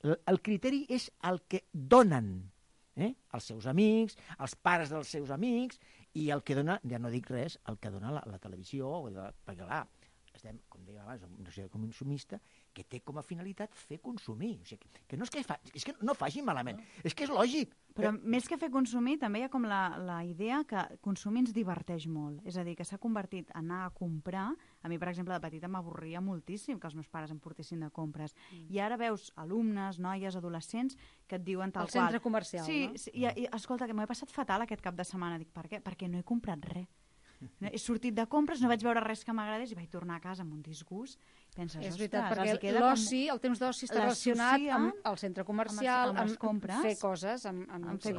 el criteri és el que donen els seus amics, els pares dels seus amics, i el que dona, ja no dic res, el que dona la televisió, perquè clar, estem, com deia abans, en una societat consumista que té com a finalitat fer consumir. O sigui, que no és que no faci malament, és que és lògic.
Però més que fer consumir, també hi ha com la idea que consumir ens diverteix molt. És a dir, que s'ha convertit en anar a comprar. A mi, per exemple, de petita m'avorria moltíssim que els meus pares em portessin de compres. I ara veus alumnes, noies, adolescents, que et diuen tal qual.
Al centre comercial,
sí,
no?
Sí, i escolta, que m'ho he passat fatal aquest cap de setmana. Dic, per què? Perquè no he comprat res. He sortit de compres, no vaig veure res que m'agradés i vaig tornar a casa amb un disgust. Penses,
És veritat,
ostres,
perquè l'oci, el temps d'oci està relacionat amb el centre comercial,
amb les compres,
fer coses, amb
fer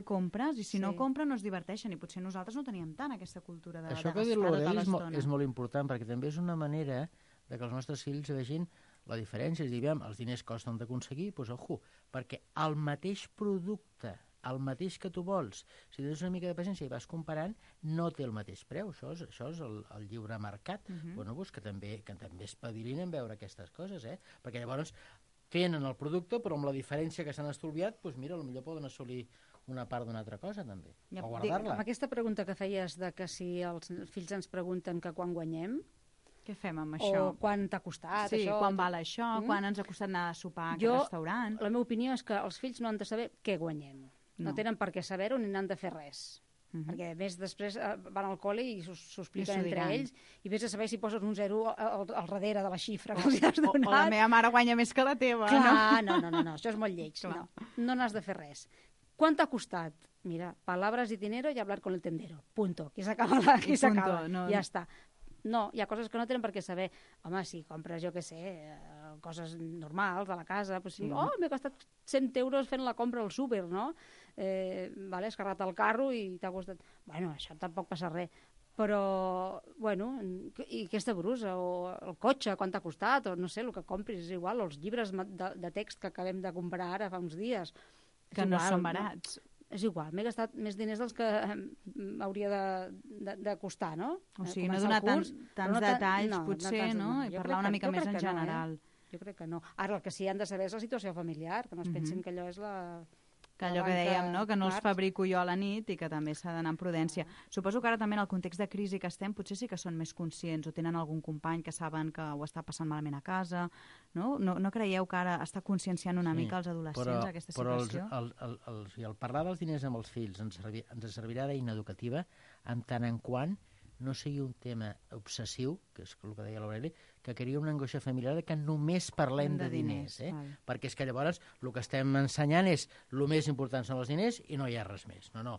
compres, i si no compren no es diverteixen, i potser nosaltres no teníem tant aquesta cultura de
Això
gastar
que diu l'Aureli
l'estona.
és molt important, perquè també és una manera de que els nostres fills vegin la diferència. És dir, els diners costen d'aconseguir, doncs ojo, perquè el mateix producte, el mateix que tu vols, si tens una mica de paciència i vas comparant, no té el mateix preu. Això és el lliure mercat. Bueno, doncs que també espavilin en veure aquestes coses, perquè llavors tenen el producte, però amb la diferència que s'han estolviat, doncs mira, potser poden assolir una part d'una altra cosa, també, o guardar-la.
Amb aquesta pregunta que feies de que si els fills ens pregunten que quan guanyem,
què fem amb això?
o quan t'ha costat
Sí,
això...
quan val això, quan ens ha costat anar a sopar a aquest restaurant.
La meva opinió és que els fills no han de saber què guanyem. No tenen per què saber-ho ni n'han de fer res. Perquè més després van al col·le i s'ho expliquen entre ells i vés a saber si poses un 0 al darrere de la xifra que els has donat.
O la meva mare guanya més que la teva.
Clar, no, això és molt lleig. No n'has de fer res. Quan t'ha costat? Mira, palabras y dinero y hablar con el tendero. Punto. Aquí s'acaba. Ja està. No, hi ha coses que no tenen per què saber. Home, si compres, jo què sé, coses normals de la casa, doncs sí, m'he gastat 100 euros fent la compra al súper, no? Has carregat el carro i t'ha costat... Bueno, això tampoc passa res. Però, bueno, i aquesta brusa, o el cotxe, quan t'ha costat, o no sé, el que compris, és igual, o els llibres de text que acabem de comprar ara fa uns dies.
Que no són barats.
És igual, m'he gastat més diners dels que hauria de costar, no?
O sigui, no donar tants detalls, potser, no? I parlar una mica més en general.
Jo crec que no. Ara, el que sí han de saber és la situació familiar, que no es pensin que allò és la...
Que allò que dèiem, no? Que no els fabrico jo a la nit i que també s'ha d'anar amb prudència. Suposo que ara també en el context de crisi que estem potser sí que són més conscients o tenen algun company que saben que ho està passant malament a casa, no? No creieu que ara està conscienciant una mica els adolescents aquesta situació?
Però el parlar dels diners amb els fills ens servirà d'eina educativa en tant en quant no sigui un tema obsessiu, que és el que deia l'Aureli, que crea una angoixa familiar que només parlem de diners. Perquè és que llavors el que estem ensenyant és el més important són els diners i no hi ha res més. No,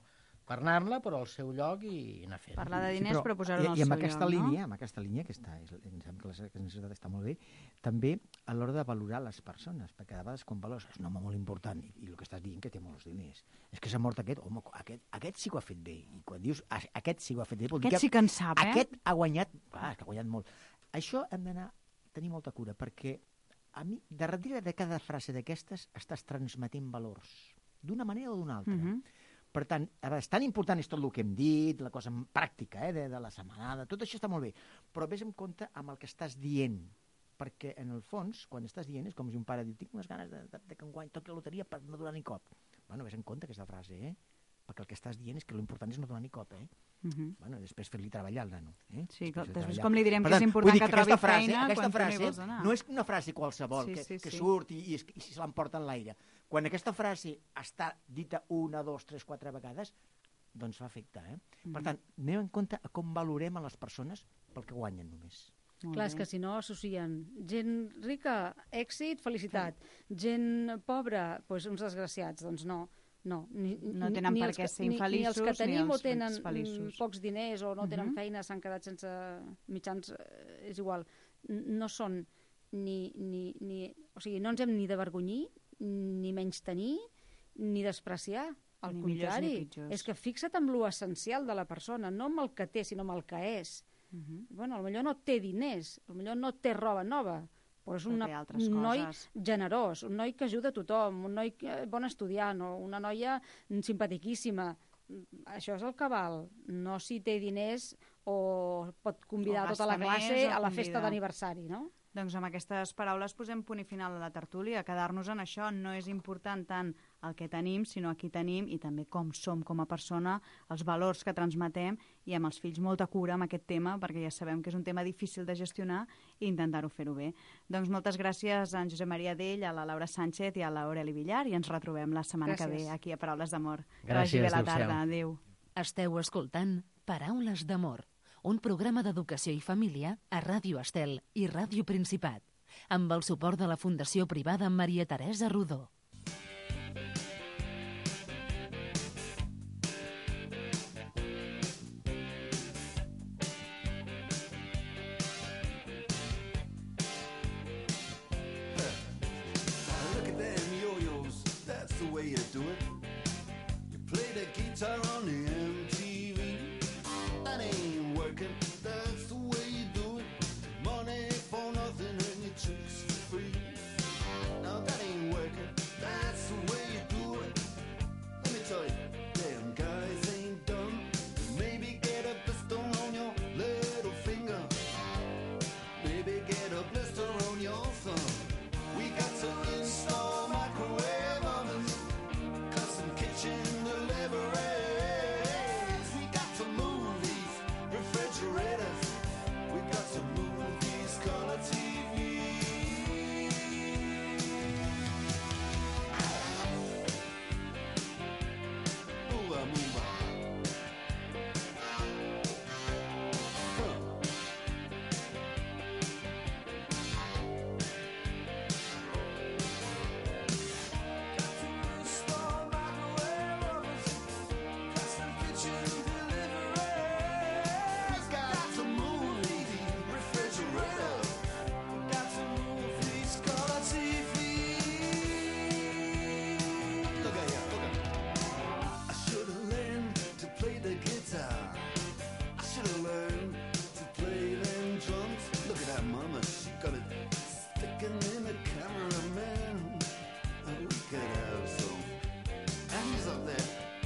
parlar-ne, però al seu lloc i anar fent.
Parlar de diners, però posar-ho en el seu lloc, no?
I amb aquesta línia, que em sembla que necessitat està molt bé, també a l'hora de valorar les persones, perquè a vegades quan valores és un home molt important i el que estàs dient que té molts diners. És que s'ha mort aquest, home, aquest sí que ho ha fet bé. I quan dius aquest sí que ho ha fet bé, vol dir que
sí que en sap,
aquest ha guanyat, que ha guanyat molt. Això hem d'anar a tenir molta cura, perquè a mi, darrere de cada frase d'aquestes estàs transmetent valors, d'una manera o d'una altra. Per tant, és tan important és tot el que hem dit, la cosa pràctica de la setmanada, tot això està molt bé, però vés en compte amb el que estàs dient, perquè en el fons, quan estàs dient, és com si un pare diu, tinc unes ganes de que enguany toqui la loteria per no donar ni cop. Bueno, vés en compte aquesta frase, perquè el que estàs dient és que l'important és no donar ni cop, Bueno, després fer-li treballar al nano.
Sí, després com li direm que és important que trobi feina quan tu no hi vols anar.
No és una frase qualsevol que surt i se l'emporta en l'aire. Quan aquesta frase està dita 1, 2, 3, 4 vegades, doncs fa efecte. Per tant, anem en compte a com valorem a les persones pel que guanyen només.
Clar, és que si no associen gent rica, èxit, felicitat. Gent pobra, doncs uns desgraciats. Doncs no.
No tenen per què ser infeliços
ni els que tenim o tenen
feliços.
pocs diners o no tenen feina, s'han quedat sense mitjans, és igual. No són o sigui, no ens hem ni d'avergonyir, ni menys tenir, ni despreciar. Al contrari, és que fixa't en lo essencial de la persona, no amb el que té, sinó amb el que és. Bueno, potser no té diners, potser no té roba nova, però és un noi generós, un noi que ajuda a tothom, un noi bon estudiant, o una noia simpatiquíssima. això és el que val. No si té diners o pot convidar
O
tota la
gasta
classe
més o
a la festa
convidar.
d'aniversari, no?
Doncs amb aquestes paraules posem punt i final a la tertúlia. Quedar-nos en això no és important tant el que tenim, sinó a qui tenim i també com som com a persona, els valors que transmetem i amb els fills molta cura amb aquest tema, perquè ja sabem que és un tema difícil de gestionar i intentar-ho fer-ho bé. Doncs moltes gràcies a en Josep Maria Dell, a la Laura Sánchez i a l'Aureli Villar i ens retrobem la setmana que ve aquí a Paraules d'Amor. Que vagi bé la tarda. Adéu.
Esteu escoltant Paraules d'Amor, un programa d'educació i família a Ràdio Estel i Ràdio Principat, amb el suport de la Fundació Privada Maria Teresa Rodó.
Look at them yo-yos, that's the way you do it. You play the guitar on the MTV. That ain't working, that's the way you do it. Money for nothing and your chicks for free. Now that ain't working, that's the way you do it. Let me tell you, them guys ain't dumb. Maybe get a blister on your little finger. Maybe get a blister on your thumb. We got to install microwave ovens, custom kitchen deliveries. We got to move these refrigerators. We got to move these color TVs. Move on, move on.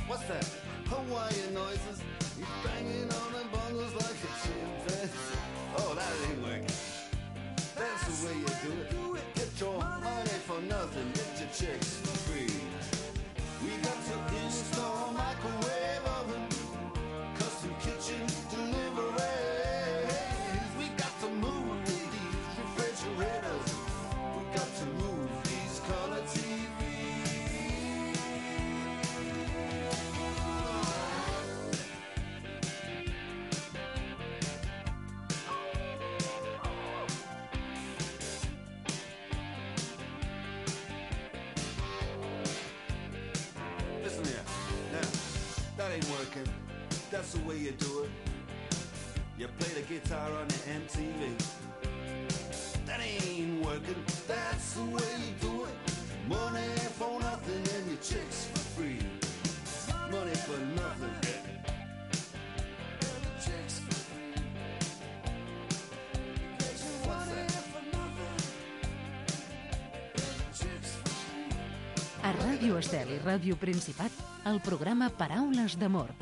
What's that? Hawaiian noises. He's banging on the bongos like a chimpanzee. Oh, that ain't working. That's the way you do it. Get your money for nothing. Get your chicks for free. We got to install microwave oven, custom kitchen deliveries. We got to move these refrigerators. We got to move these color TVs. Listen here, now, that ain't working. That's the way you do it. You play the guitar on the MTV. That ain't working. That's the way you do it. Money for nothing and your chicks for free. Money for nothing. And your chicks for free. Get your money for nothing. And your chicks for free.
A Ràdio Estel i Ràdio Principat, el programa Paraules d'Amor.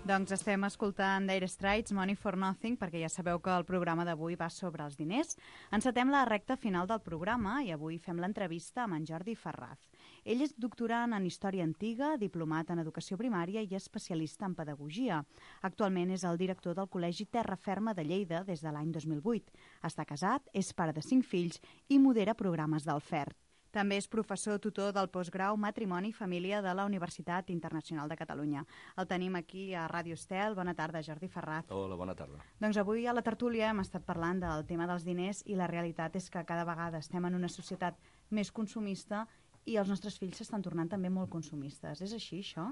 Doncs estem escoltant Dire Straits, Money for Nothing, perquè ja sabeu que el programa d'avui va sobre els diners. Encetem la recta final del programa i avui fem l'entrevista amb en Jordi Ferraz. Ell és doctorant en Història Antiga, diplomat en Educació Primària i especialista en Pedagogia. Actualment és el director del Col·legi Terra Ferma de Lleida des de l'any 2008. Està casat, és pare de 5 fills i modera programes del FERT. També és professor tutor del postgrau Matrimoni i Família de la Universitat Internacional de Catalunya. El tenim aquí a Ràdio Estel. Bona tarda, Jordi Ferraz.
Hola, bona tarda.
Doncs avui a la tertúlia hem estat parlant del tema dels diners i la realitat és que cada vegada estem en una societat més consumista i els nostres fills s'estan tornant també molt consumistes. És així, això?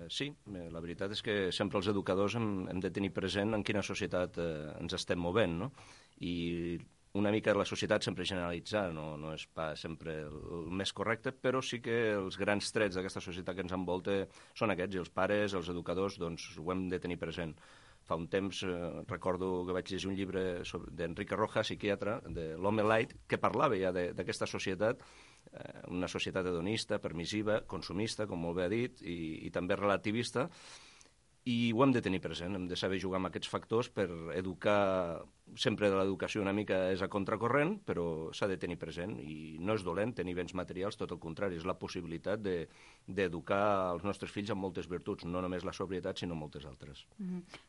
Sí, la veritat és que sempre els educadors hem de tenir present en quina societat ens estem movent, no? I una mica la societat sempre generalitzar, no és pas sempre el més correcte, però sí que els grans trets d'aquesta societat que ens envolta són aquests, i els pares, els educadors, doncs ho hem de tenir present. Fa un temps recordo que vaig llegir un llibre d'Enrique Rojas, psiquiatre, de l'Home Light, que parlava ja d'aquesta societat una societat hedonista, permissiva, consumista, com molt bé ha dit, i també relativista, i ho hem de tenir present, hem de saber jugar amb aquests factors per educar. Sempre de l'educació una mica és a contracorrent, però s'ha de tenir present, i no és dolent tenir béns materials, tot el contrari, és la possibilitat d'educar els nostres fills amb moltes virtuts, no només la sobrietat, sinó moltes altres.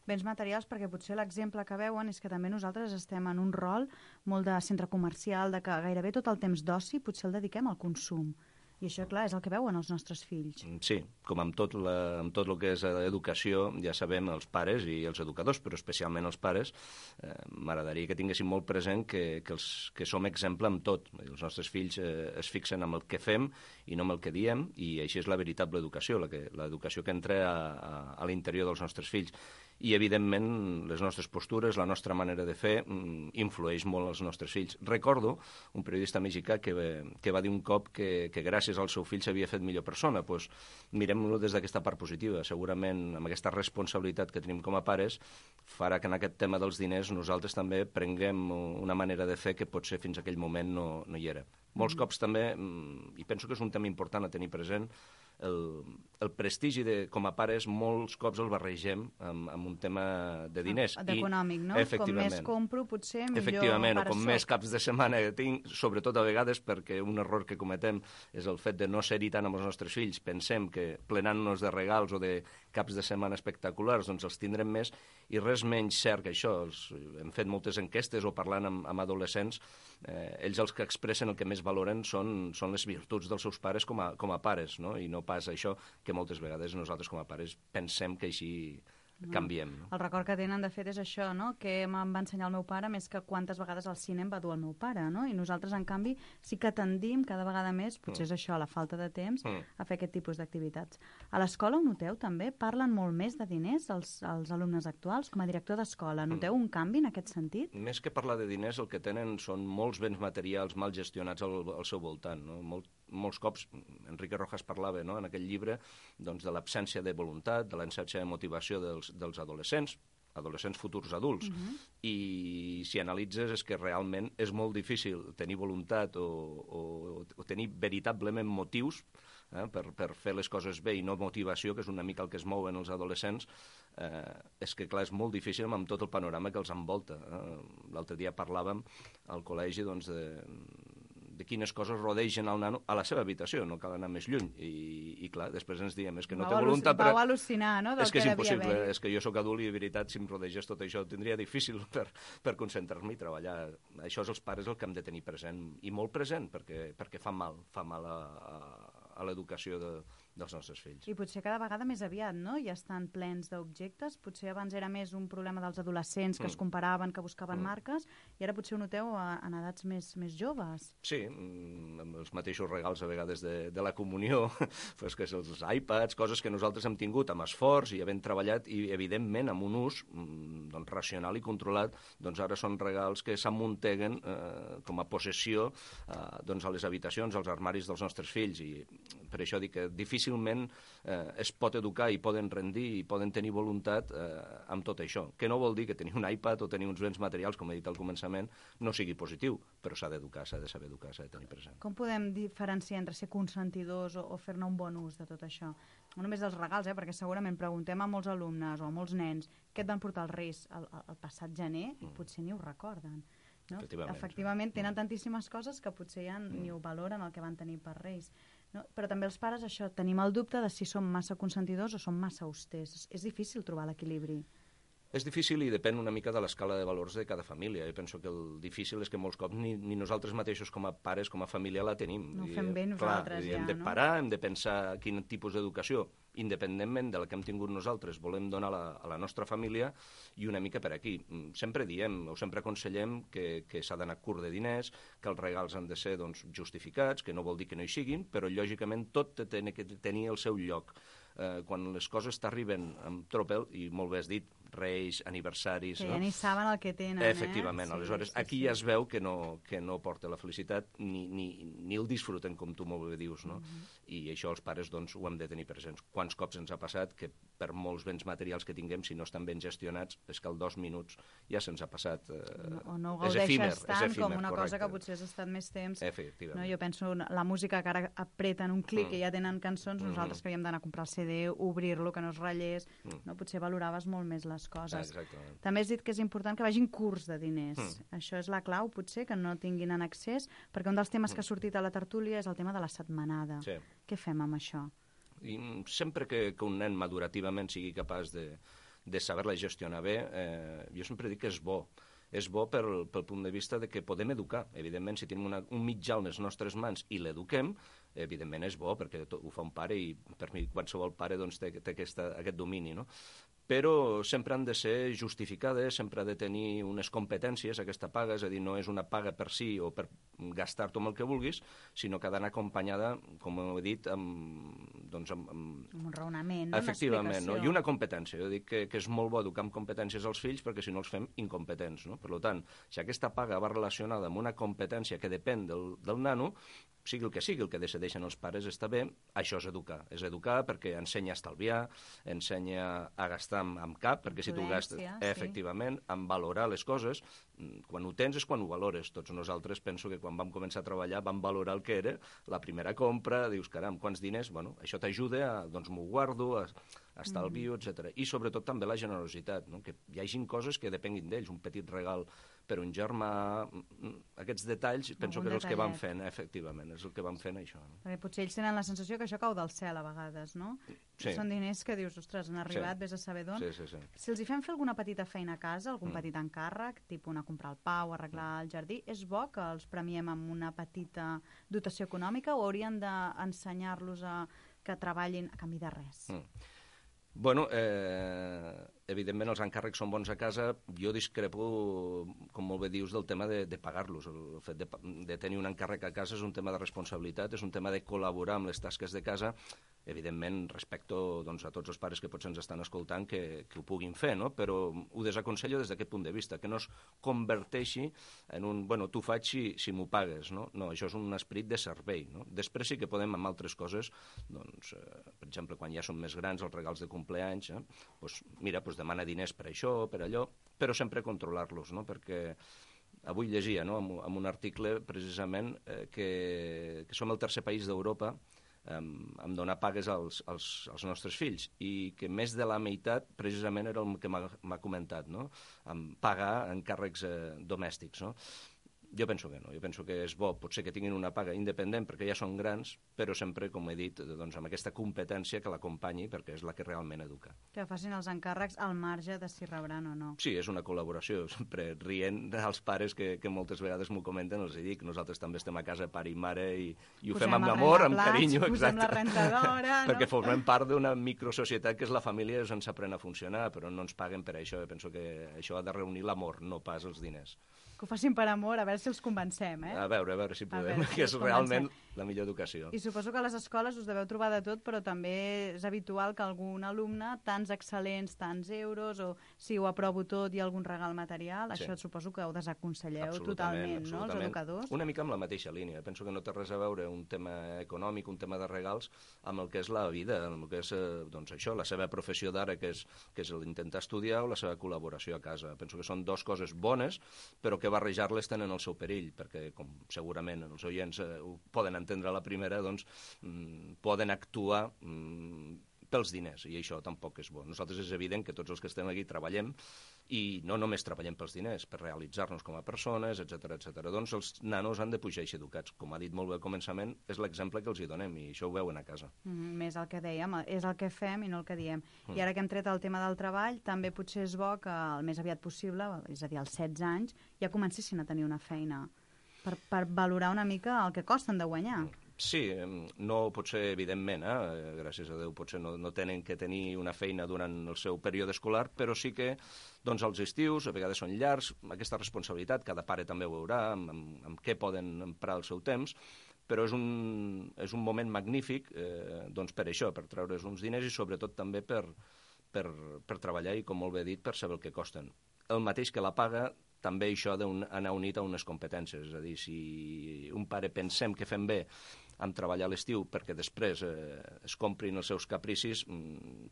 Béns materials, perquè potser l'exemple que veuen és que també nosaltres estem en un rol molt de centre comercial, de que gairebé tot el temps d'oci potser el dediquem al consum. I això, clar, és el que veuen els nostres fills.
Sí, com amb tot el que és educació, ja sabem, els pares i els educadors, però especialment els pares, m'agradaria que tinguéssim molt present que som exemple amb tot. Els nostres fills es fixen amb el que fem i no amb el que diem, i així és la veritable educació, l'educació que entra a l'interior dels nostres fills. I, evidentment, les nostres postures, la nostra manera de fer, influeix molt als nostres fills. Recordo un periodista mexicà que va dir un cop que gràcies al seu fill s'havia fet millor persona. Doncs mirem-lo des d'aquesta part positiva. Segurament, amb aquesta responsabilitat que tenim com a pares, farà que en aquest tema dels diners nosaltres també prenguem una manera de fer que potser fins a aquell moment no hi era. Molts cops també, i penso que és un tema important a tenir present, el prestigi com a pares molts cops el barregem amb un tema de diners.
D'econòmic, no? Com més compro, potser millor
efectivament,
pare
o com
soc.
més caps de setmana tinc, sobretot a vegades perquè un error que cometem és el fet de no ser-hi tant amb els nostres fills. Pensem que plenant-nos de regals o de caps de setmana espectaculars doncs els tindrem més, i res menys cert que això. Hem fet moltes enquestes o parlant amb adolescents, ells els que expressen el que més valoren són les virtuts dels seus pares com a pares, no? I no pas això que moltes vegades nosaltres com a pares pensem que així canviem. No?
El record que tenen, de fet, és això, no? Que em va ensenyar el meu pare més que quantes vegades al cine em va dur el meu pare, no? I nosaltres, en canvi, sí que tendim cada vegada més, potser és això, la falta de temps, a fer aquest tipus d'activitats. A l'escola ho noteu, també? Parlen molt més de diners els alumnes actuals? Com a director d'escola, noteu un canvi en aquest sentit?
Més que parlar de diners, el que tenen són molts béns materials mal gestionats al seu voltant, no? Molts cops, Enrique Rojas parlava, no?, en aquell llibre, doncs, de l'absència de voluntat, de l'absència de motivació dels adolescents futurs adults. I si analitzes és que realment és molt difícil tenir voluntat o tenir veritablement motius per fer les coses bé, i no motivació, que és una mica el que es mouen els adolescents. És que, clar, és molt difícil amb tot el panorama que els envolta. L'altre dia parlàvem al col·legi, doncs, de quines coses rodegen el nano a la seva habitació, no cal anar més lluny. I clar, després ens diem, és que no té voluntat...
Vau al·lucinar, no?, del
és que és
devia haver.
impossible, és que jo sóc adult i, de veritat, si em rodegés tot això, ho tindria difícil per concentrar-me i treballar. Això és els pares el que hem de tenir present, i molt present, perquè fa mal a l'educació dels nostres fills.
I potser cada vegada més aviat, no?, ja estan plens d'objectes. Potser abans era més un problema dels adolescents que es comparaven, que buscaven marques, i ara potser ho noteu en edats més joves.
Sí, amb els mateixos regals a vegades de la comunió, pues que són els iPads, coses que nosaltres hem tingut amb esforç i havent treballat, i evidentment amb un ús doncs, racional i controlat, doncs ara són regals que s'amunteguen com a possessió doncs, a les habitacions, als armaris dels nostres fills, i per això dic que difícilment es pot educar i poden rendir i poden tenir voluntat amb tot això, que no vol dir que tenir un iPad o tenir uns béns materials, com he dit al començament, no sigui positiu, però s'ha d'educar, s'ha de saber educar, s'ha de tenir present.
Com podem diferenciar entre ser consentidors o fer-ne un bon ús de tot això? No només dels regals, perquè segurament preguntem a molts alumnes o a molts nens què et van portar els Reis el passat gener i potser ni ho recorden. No? Efectivament, tenen tantíssimes coses que potser ja ni ho valoren el que van tenir per Reis. No? Però també els pares, això, tenim el dubte de si som massa consentidors o som massa austers. És difícil trobar l'equilibri.
És difícil i depèn una mica de l'escala de valors de cada família. Jo penso que el difícil és que molts cops ni nosaltres mateixos com a pares, com a família, la tenim.
No ho fem bé nosaltres,
hem de parar, hem de pensar quin tipus d'educació, independentment de la que hem tingut nosaltres, volem donar a la nostra família, i una mica per aquí. Sempre diem o sempre aconsellem que s'ha d'anar curt de diners, que els regals han de ser doncs, justificats, que no vol dir que no hi siguin, però lògicament tot té que tenir el seu lloc. Quan les coses t'arriben amb tropel, i molt bé has dit, reis, aniversaris...
Que
no?
ja ni saben el que tenen,
Efectivament,
Sí,
aleshores aquí ja es veu que no porta la felicitat ni el disfruten, com tu molt bé dius, no? I això els pares doncs, ho hem de tenir presents. Quants cops ens ha passat que per molts béns materials que tinguem, si no estan ben gestionats, és que al 2 minuts ja se'ns ha passat...
O no ho
és efímer,
gaudeixes tant com una
correcte.
cosa que potser has estat més temps.
Efectivament.
No? Jo penso la música que ara apreten un clic i ja tenen cançons, nosaltres que havíem d'anar a comprar el CD, obrir-lo, que no es ratllés, no? Potser valoraves molt més les coses.
Exactament.
També has dit que és important que vagin curts de diners. Això és la clau, potser, que no tinguin en accés, perquè un dels temes que ha sortit a la tertúlia és el tema de la setmanada.
Sí.
Què fem amb això?
I sempre que un nen madurativament sigui capaç de saber-la gestionar bé, jo sempre dic que és bo. És bo pel punt de vista de que podem educar. Evidentment, si tenim un mitjà a les nostres mans i l'eduquem, evidentment és bo, perquè ho fa un pare i per mi qualsevol pare doncs, té aquest domini, no? Però sempre han de ser justificades, sempre ha de tenir unes competències, aquesta paga, és a dir, no és una paga per si o per gastar-t'ho amb el que vulguis, sinó que ha d'anar acompanyada, com he dit, amb
un raonament, no?
Efectivament,
una
no? I una competència. Jo dic que és molt bo educar amb competències als fills perquè si no els fem incompetents, no? Per tant, si aquesta paga va relacionada amb una competència que depèn del nano, sigui el que decideixen els pares està bé, això és educar. És educar perquè ensenya a estalviar, ensenya a gastar amb cap, perquè si tu gastes, efectivament, en valorar les coses, quan ho tens és quan ho valores. Tots nosaltres penso que quan vam començar a treballar vam valorar el que era la primera compra, dius, caram, quants diners, bueno, això t'ajuda a, doncs m'ho guardo, a estalvio, etc. I sobretot també la generositat, no? Que hi hagin coses que depenguin d'ells, un petit regal per un germà, aquests detalls penso que és els que van fent, efectivament, és el que van fent això. No?
Perquè potser ells tenen la sensació que això cau del cel a vegades, no?
Sí.
Són diners que dius, ostres, han arribat, vés a saber d'on.
Sí.
Si els hi fem fer alguna petita feina a casa, algun petit encàrrec, tipus anar a comprar el pa o arreglar el jardí, és bo que els premiem amb una petita dotació econòmica o haurien d'ensenyar-los a que treballin a canvi de res?
Bueno, evidentment els encàrrecs són bons a casa. Jo discrepo, com molt bé dius, del tema de pagar-los. El fet de tenir un encàrrec a casa és un tema de responsabilitat, és un tema de col·laborar amb les tasques de casa. Evidentment, respecto doncs, a tots els pares que potser ens estan escoltant que ho puguin fer, no? Però ho desaconsello des d'aquest punt de vista, que no es converteixi en un, bueno, tu faig si m'ho pagues, no? No, això és un esperit de servei, no? Després sí que podem, amb altres coses, doncs, per exemple, quan ja són més grans, els regals de compleanys, doncs, mira, doncs demana diners per això, per allò, però sempre controlar-los, no? Perquè avui llegia, no?, en un article, precisament, que som el tercer país d'Europa en donar pagues als nostres fills i que més de la meitat precisament era el que m'ha comentat, no?, en pagar encàrrecs domèstics, no? Jo penso que no, jo penso que és bo, potser que tinguin una paga independent perquè ja són grans, però sempre, com he dit, doncs, amb aquesta competència que l'acompanyi perquè és la que realment educa.
Que facin els encàrrecs al marge de si rebran o no.
Sí, és una col·laboració, sempre rient als pares que moltes vegades m'ho comenten, els dic, nosaltres també estem a casa, pare i mare, i ho fem amb amor, amb carinyo,
posem la rentadora, no?
Perquè formem part d'una microsocietat que és la família i ens aprèn a funcionar, però no ens paguen per això. Jo penso que això ha de reunir l'amor, no pas els diners.
Que ho facin per amor, a veure si els convencem,
A veure si podem, que és realment la millor educació.
I suposo que a les escoles us deveu trobar de tot, però també és habitual que algun alumne, tants excel·lents, tants euros, o si ho aprovo tot i algun regal material, això suposo que ho desaconselleu totalment, no, els educadors?
Una mica amb la mateixa línia. Penso que no té res a veure un tema econòmic, un tema de regals, amb el que és la vida, amb el que és, doncs això, la seva professió d'ara, que és l'intentar estudiar, o la seva col·laboració a casa. Penso que són dues coses bones, però que barrejar-les tenen el seu perill, perquè, com segurament els oients ho poden entendre a la primera, doncs poden actuar pels diners, i això tampoc és bo. Nosaltres és evident que tots els que estem aquí treballem, i no només treballem pels diners, per realitzar-nos com a persones, etc. Doncs els nanos han de pujar i ser educats. Com ha dit molt bé al començament, és l'exemple que els hi donem, i això ho veuen a casa.
Més el que dèiem, és el que fem i no el que diem. I ara que hem tret el tema del treball, també potser és bo que el més aviat possible, és a dir, als 16 anys, ja comencessin a tenir una feina, per valorar una mica el que costen de guanyar.
Sí, no potser, evidentment, gràcies a Déu, potser no tenen que tenir una feina durant el seu període escolar, però sí que doncs, els estius, a vegades són llargs, aquesta responsabilitat, cada pare també ho veurà, amb què poden emprar el seu temps, però és un moment magnífic doncs per això, per treure's uns diners i sobretot també per per treballar i, com molt bé dit, per saber el que costen. El mateix que la paga, també això ha d'anar unit a unes competències. És a dir, si un pare pensem que fem bé en treballar a l'estiu perquè després es comprin els seus capricis,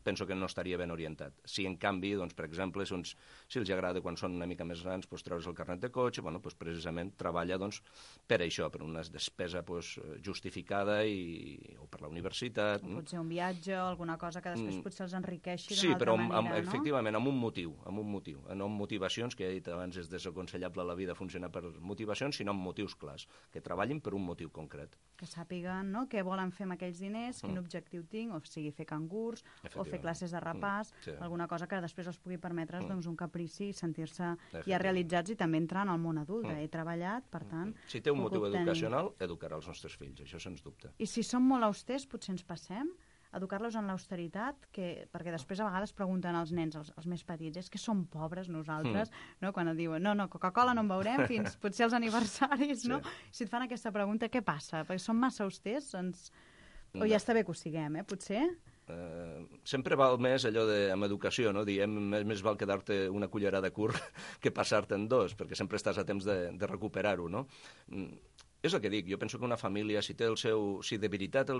penso que no estaria ben orientat. Si, en canvi, doncs, per exemple, si els agrada quan són una mica més grans treure's el carnet de cotxe, precisament treballa per això, per una despesa justificada o per la universitat.
O potser un viatge o alguna cosa que després potser els enriqueixi
Sí,
d'una
però
altra manera, no?
efectivament, amb un motiu, no amb motivacions, que he dit abans, és desaconsellable la vida funcionar per motivacions, sinó amb motius clars, que treballin per un motiu concret.
Que sàpiguen, no?, què volen fer amb aquells diners, quin objectiu tinc, o sigui, fer cangurs, o fer classes de repàs, alguna cosa que després els pugui permetre un caprici i sentir-se ja realitzats i també entrar en el món adult. He treballat, per tant...
Si té un motiu educacional, educarà els nostres fills, això sens dubte.
I si som molt austers, potser ens passem educar-los en l'austeritat, perquè després a vegades pregunten als nens, els més petits, és que som pobres nosaltres, no? Quan et diuen, no, Coca-Cola no en veurem fins potser als aniversaris, no? Si et fan aquesta pregunta, què passa? Perquè som massa austers? O ja està bé que ho siguem, potser?
Sempre val més allò amb educació, no? Diem, més val quedar-te una cullerada curt que passar-te'n dos, perquè sempre estàs a temps de recuperar-ho, no? És el que dic, jo penso que una família, si de veritat el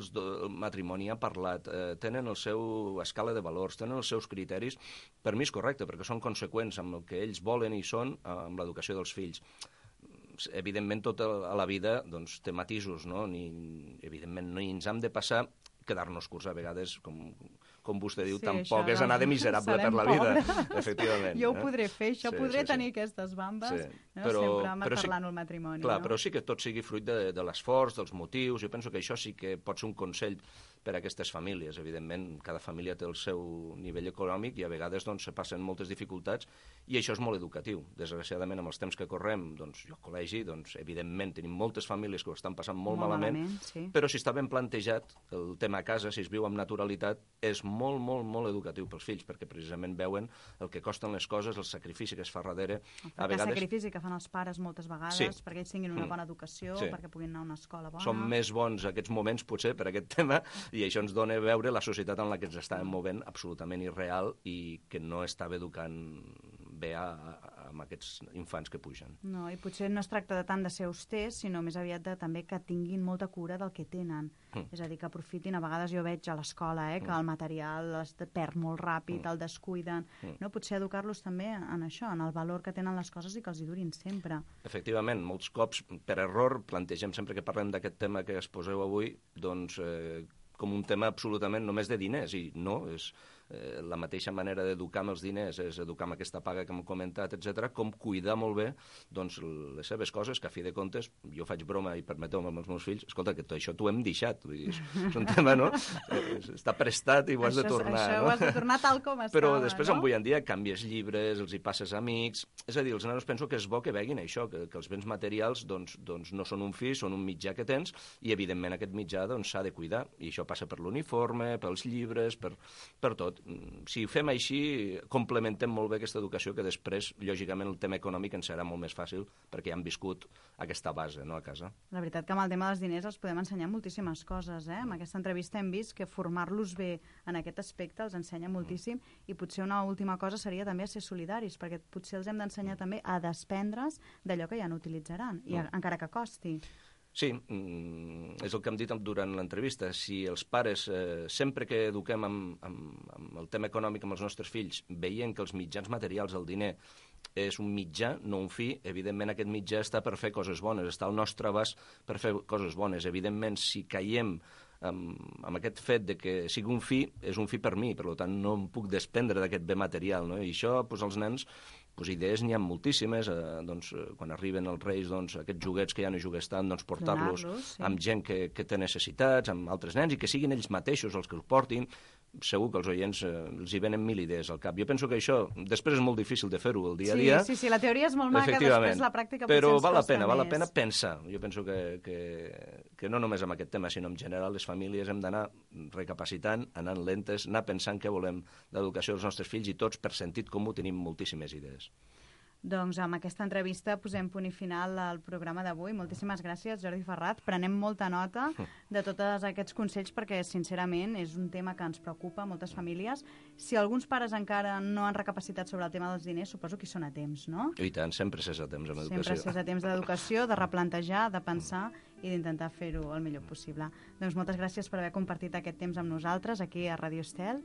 matrimoni ha parlat, tenen el seu escala de valors, tenen els seus criteris, per mi és correcte, perquè són conseqüents amb el que ells volen i són amb l'educació dels fills. Evidentment, tota la vida té matisos, no? Evidentment, no ens hem de passar quedar-nos curts a vegades, com vostè diu, tampoc és anar de miserable per la vida, efectivament.
Jo ho podré fer, això podré tenir aquestes bambes, sempre parlant el matrimoni.
Clar, però sí que tot sigui fruit de l'esforç, dels motius, jo penso que això sí que pot ser un consell per a aquestes famílies. Evidentment, cada família té el seu nivell econòmic i a vegades se passen moltes dificultats i això és molt educatiu. Desgraciadament, amb els temps que correm, jo al col·legi, evidentment, tenim moltes famílies que ho estan passant molt malament, però si està ben plantejat el tema a casa, si es viu amb naturalitat, és molt, molt, molt educatiu pels fills, perquè precisament veuen el que costen les coses, el sacrifici que es fa darrere.
El sacrifici que fan els pares moltes vegades perquè ells tinguin una bona educació, perquè puguin anar a una escola bona.
Són més bons aquests moments, potser, per aquest tema, i això ens dona a veure la societat en la que ens estàvem movent absolutament irreal i que no estava educant bé amb aquests infants que pugen.
No, i potser no es tracta de tant de ser austers, sinó més aviat de també que tinguin molta cura del que tenen. És a dir, que aprofitin. A vegades jo veig a l'escola que el material es perd molt ràpid, el descuiden. No? Potser educar-los també en això, en el valor que tenen les coses i que els hi durin sempre.
Efectivament, molts cops, per error, plantegem sempre que parlem d'aquest tema que exposeu avui, com un tema absolutament només de diners, i no, és la mateixa manera d'educar amb els diners, és educar amb aquesta paga que hem comentat, etc., com cuidar molt bé les seves coses, que a fi de comptes, jo faig broma i permeteu-me amb els meus fills, escolta, que tot això t'ho hem deixat, vull dir, és un tema, no? Està prestat i ho has de tornar.
Això ho has de tornar tal com estava,
però després, avui en dia, canvies llibres, els hi passes amics, és a dir, els nanos penso que és bo que veguin això, que els béns materials no són un fi, són un mitjà que tens, i evidentment aquest mitjà s'ha de cuidar, i això passa per l'uniforme, pels llibres, per tot. Si ho fem així, complementem molt bé aquesta educació, que després, lògicament, el tema econòmic ens serà molt més fàcil perquè ja han viscut aquesta base, no, a casa.
La veritat que amb el tema dels diners els podem ensenyar moltíssimes coses, Amb aquesta entrevista hem vist que formar-los bé en aquest aspecte els ensenya moltíssim, i potser una última cosa seria també ser solidaris, perquè potser els hem d'ensenyar també a desprendre's d'allò que ja no utilitzaran, i encara que costi.
Sí, és el que hem dit durant l'entrevista. Si els pares, sempre que eduquem amb el tema econòmic amb els nostres fills, veient que els mitjans materials, el diner, és un mitjà, no un fi, evidentment aquest mitjà està per fer coses bones, està al nostre abast per fer coses bones. Evidentment, si caiem amb aquest fet de que sigui un fi, és un fi per mi, per tant no em puc desprendre d'aquest bé material, no? I això, els nens, idees n'hi ha moltíssimes, quan arriben els Reis, aquests joguets que ja no jugues tant, portar-los amb gent que té necessitats, amb altres nens, i que siguin ells mateixos els que els portin. Segur que els oients els hi venen 1000 idees al cap. Jo penso que això després és molt difícil de fer-ho el dia a dia.
Sí, la teoria és molt maca, després la pràctica potser ens costa més.
Val la pena pensar. Jo penso que no només amb aquest tema, sinó en general les famílies hem d'anar recapacitant, anant lentes, anar pensant què volem d'educació dels nostres fills, i tots per sentit comú tenim moltíssimes idees.
Doncs amb aquesta entrevista posem punt i final al programa d'avui. Moltíssimes gràcies, Jordi Ferrat. Prenem molta nota de tots aquests consells perquè, sincerament, és un tema que ens preocupa a moltes famílies. Si alguns pares encara no han recapacitat sobre el tema dels diners, suposo que hi són a temps, no?
I tant, sempre s'és a temps amb educació.
Sempre s'és a temps d'educació, de replantejar, de pensar i d'intentar fer-ho el millor possible. Doncs moltes gràcies per haver compartit aquest temps amb nosaltres aquí a Radio Estel.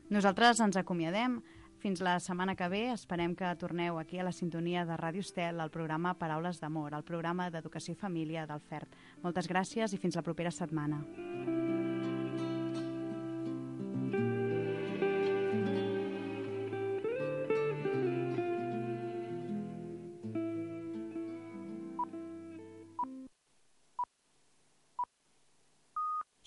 Nosaltres ens acomiadem. Fins la setmana que ve, esperem que torneu aquí a la sintonia de Ràdio Estel, al programa Paraules d'Amor, el programa d'Educació i Família del FERT. Moltes gràcies i fins la propera setmana.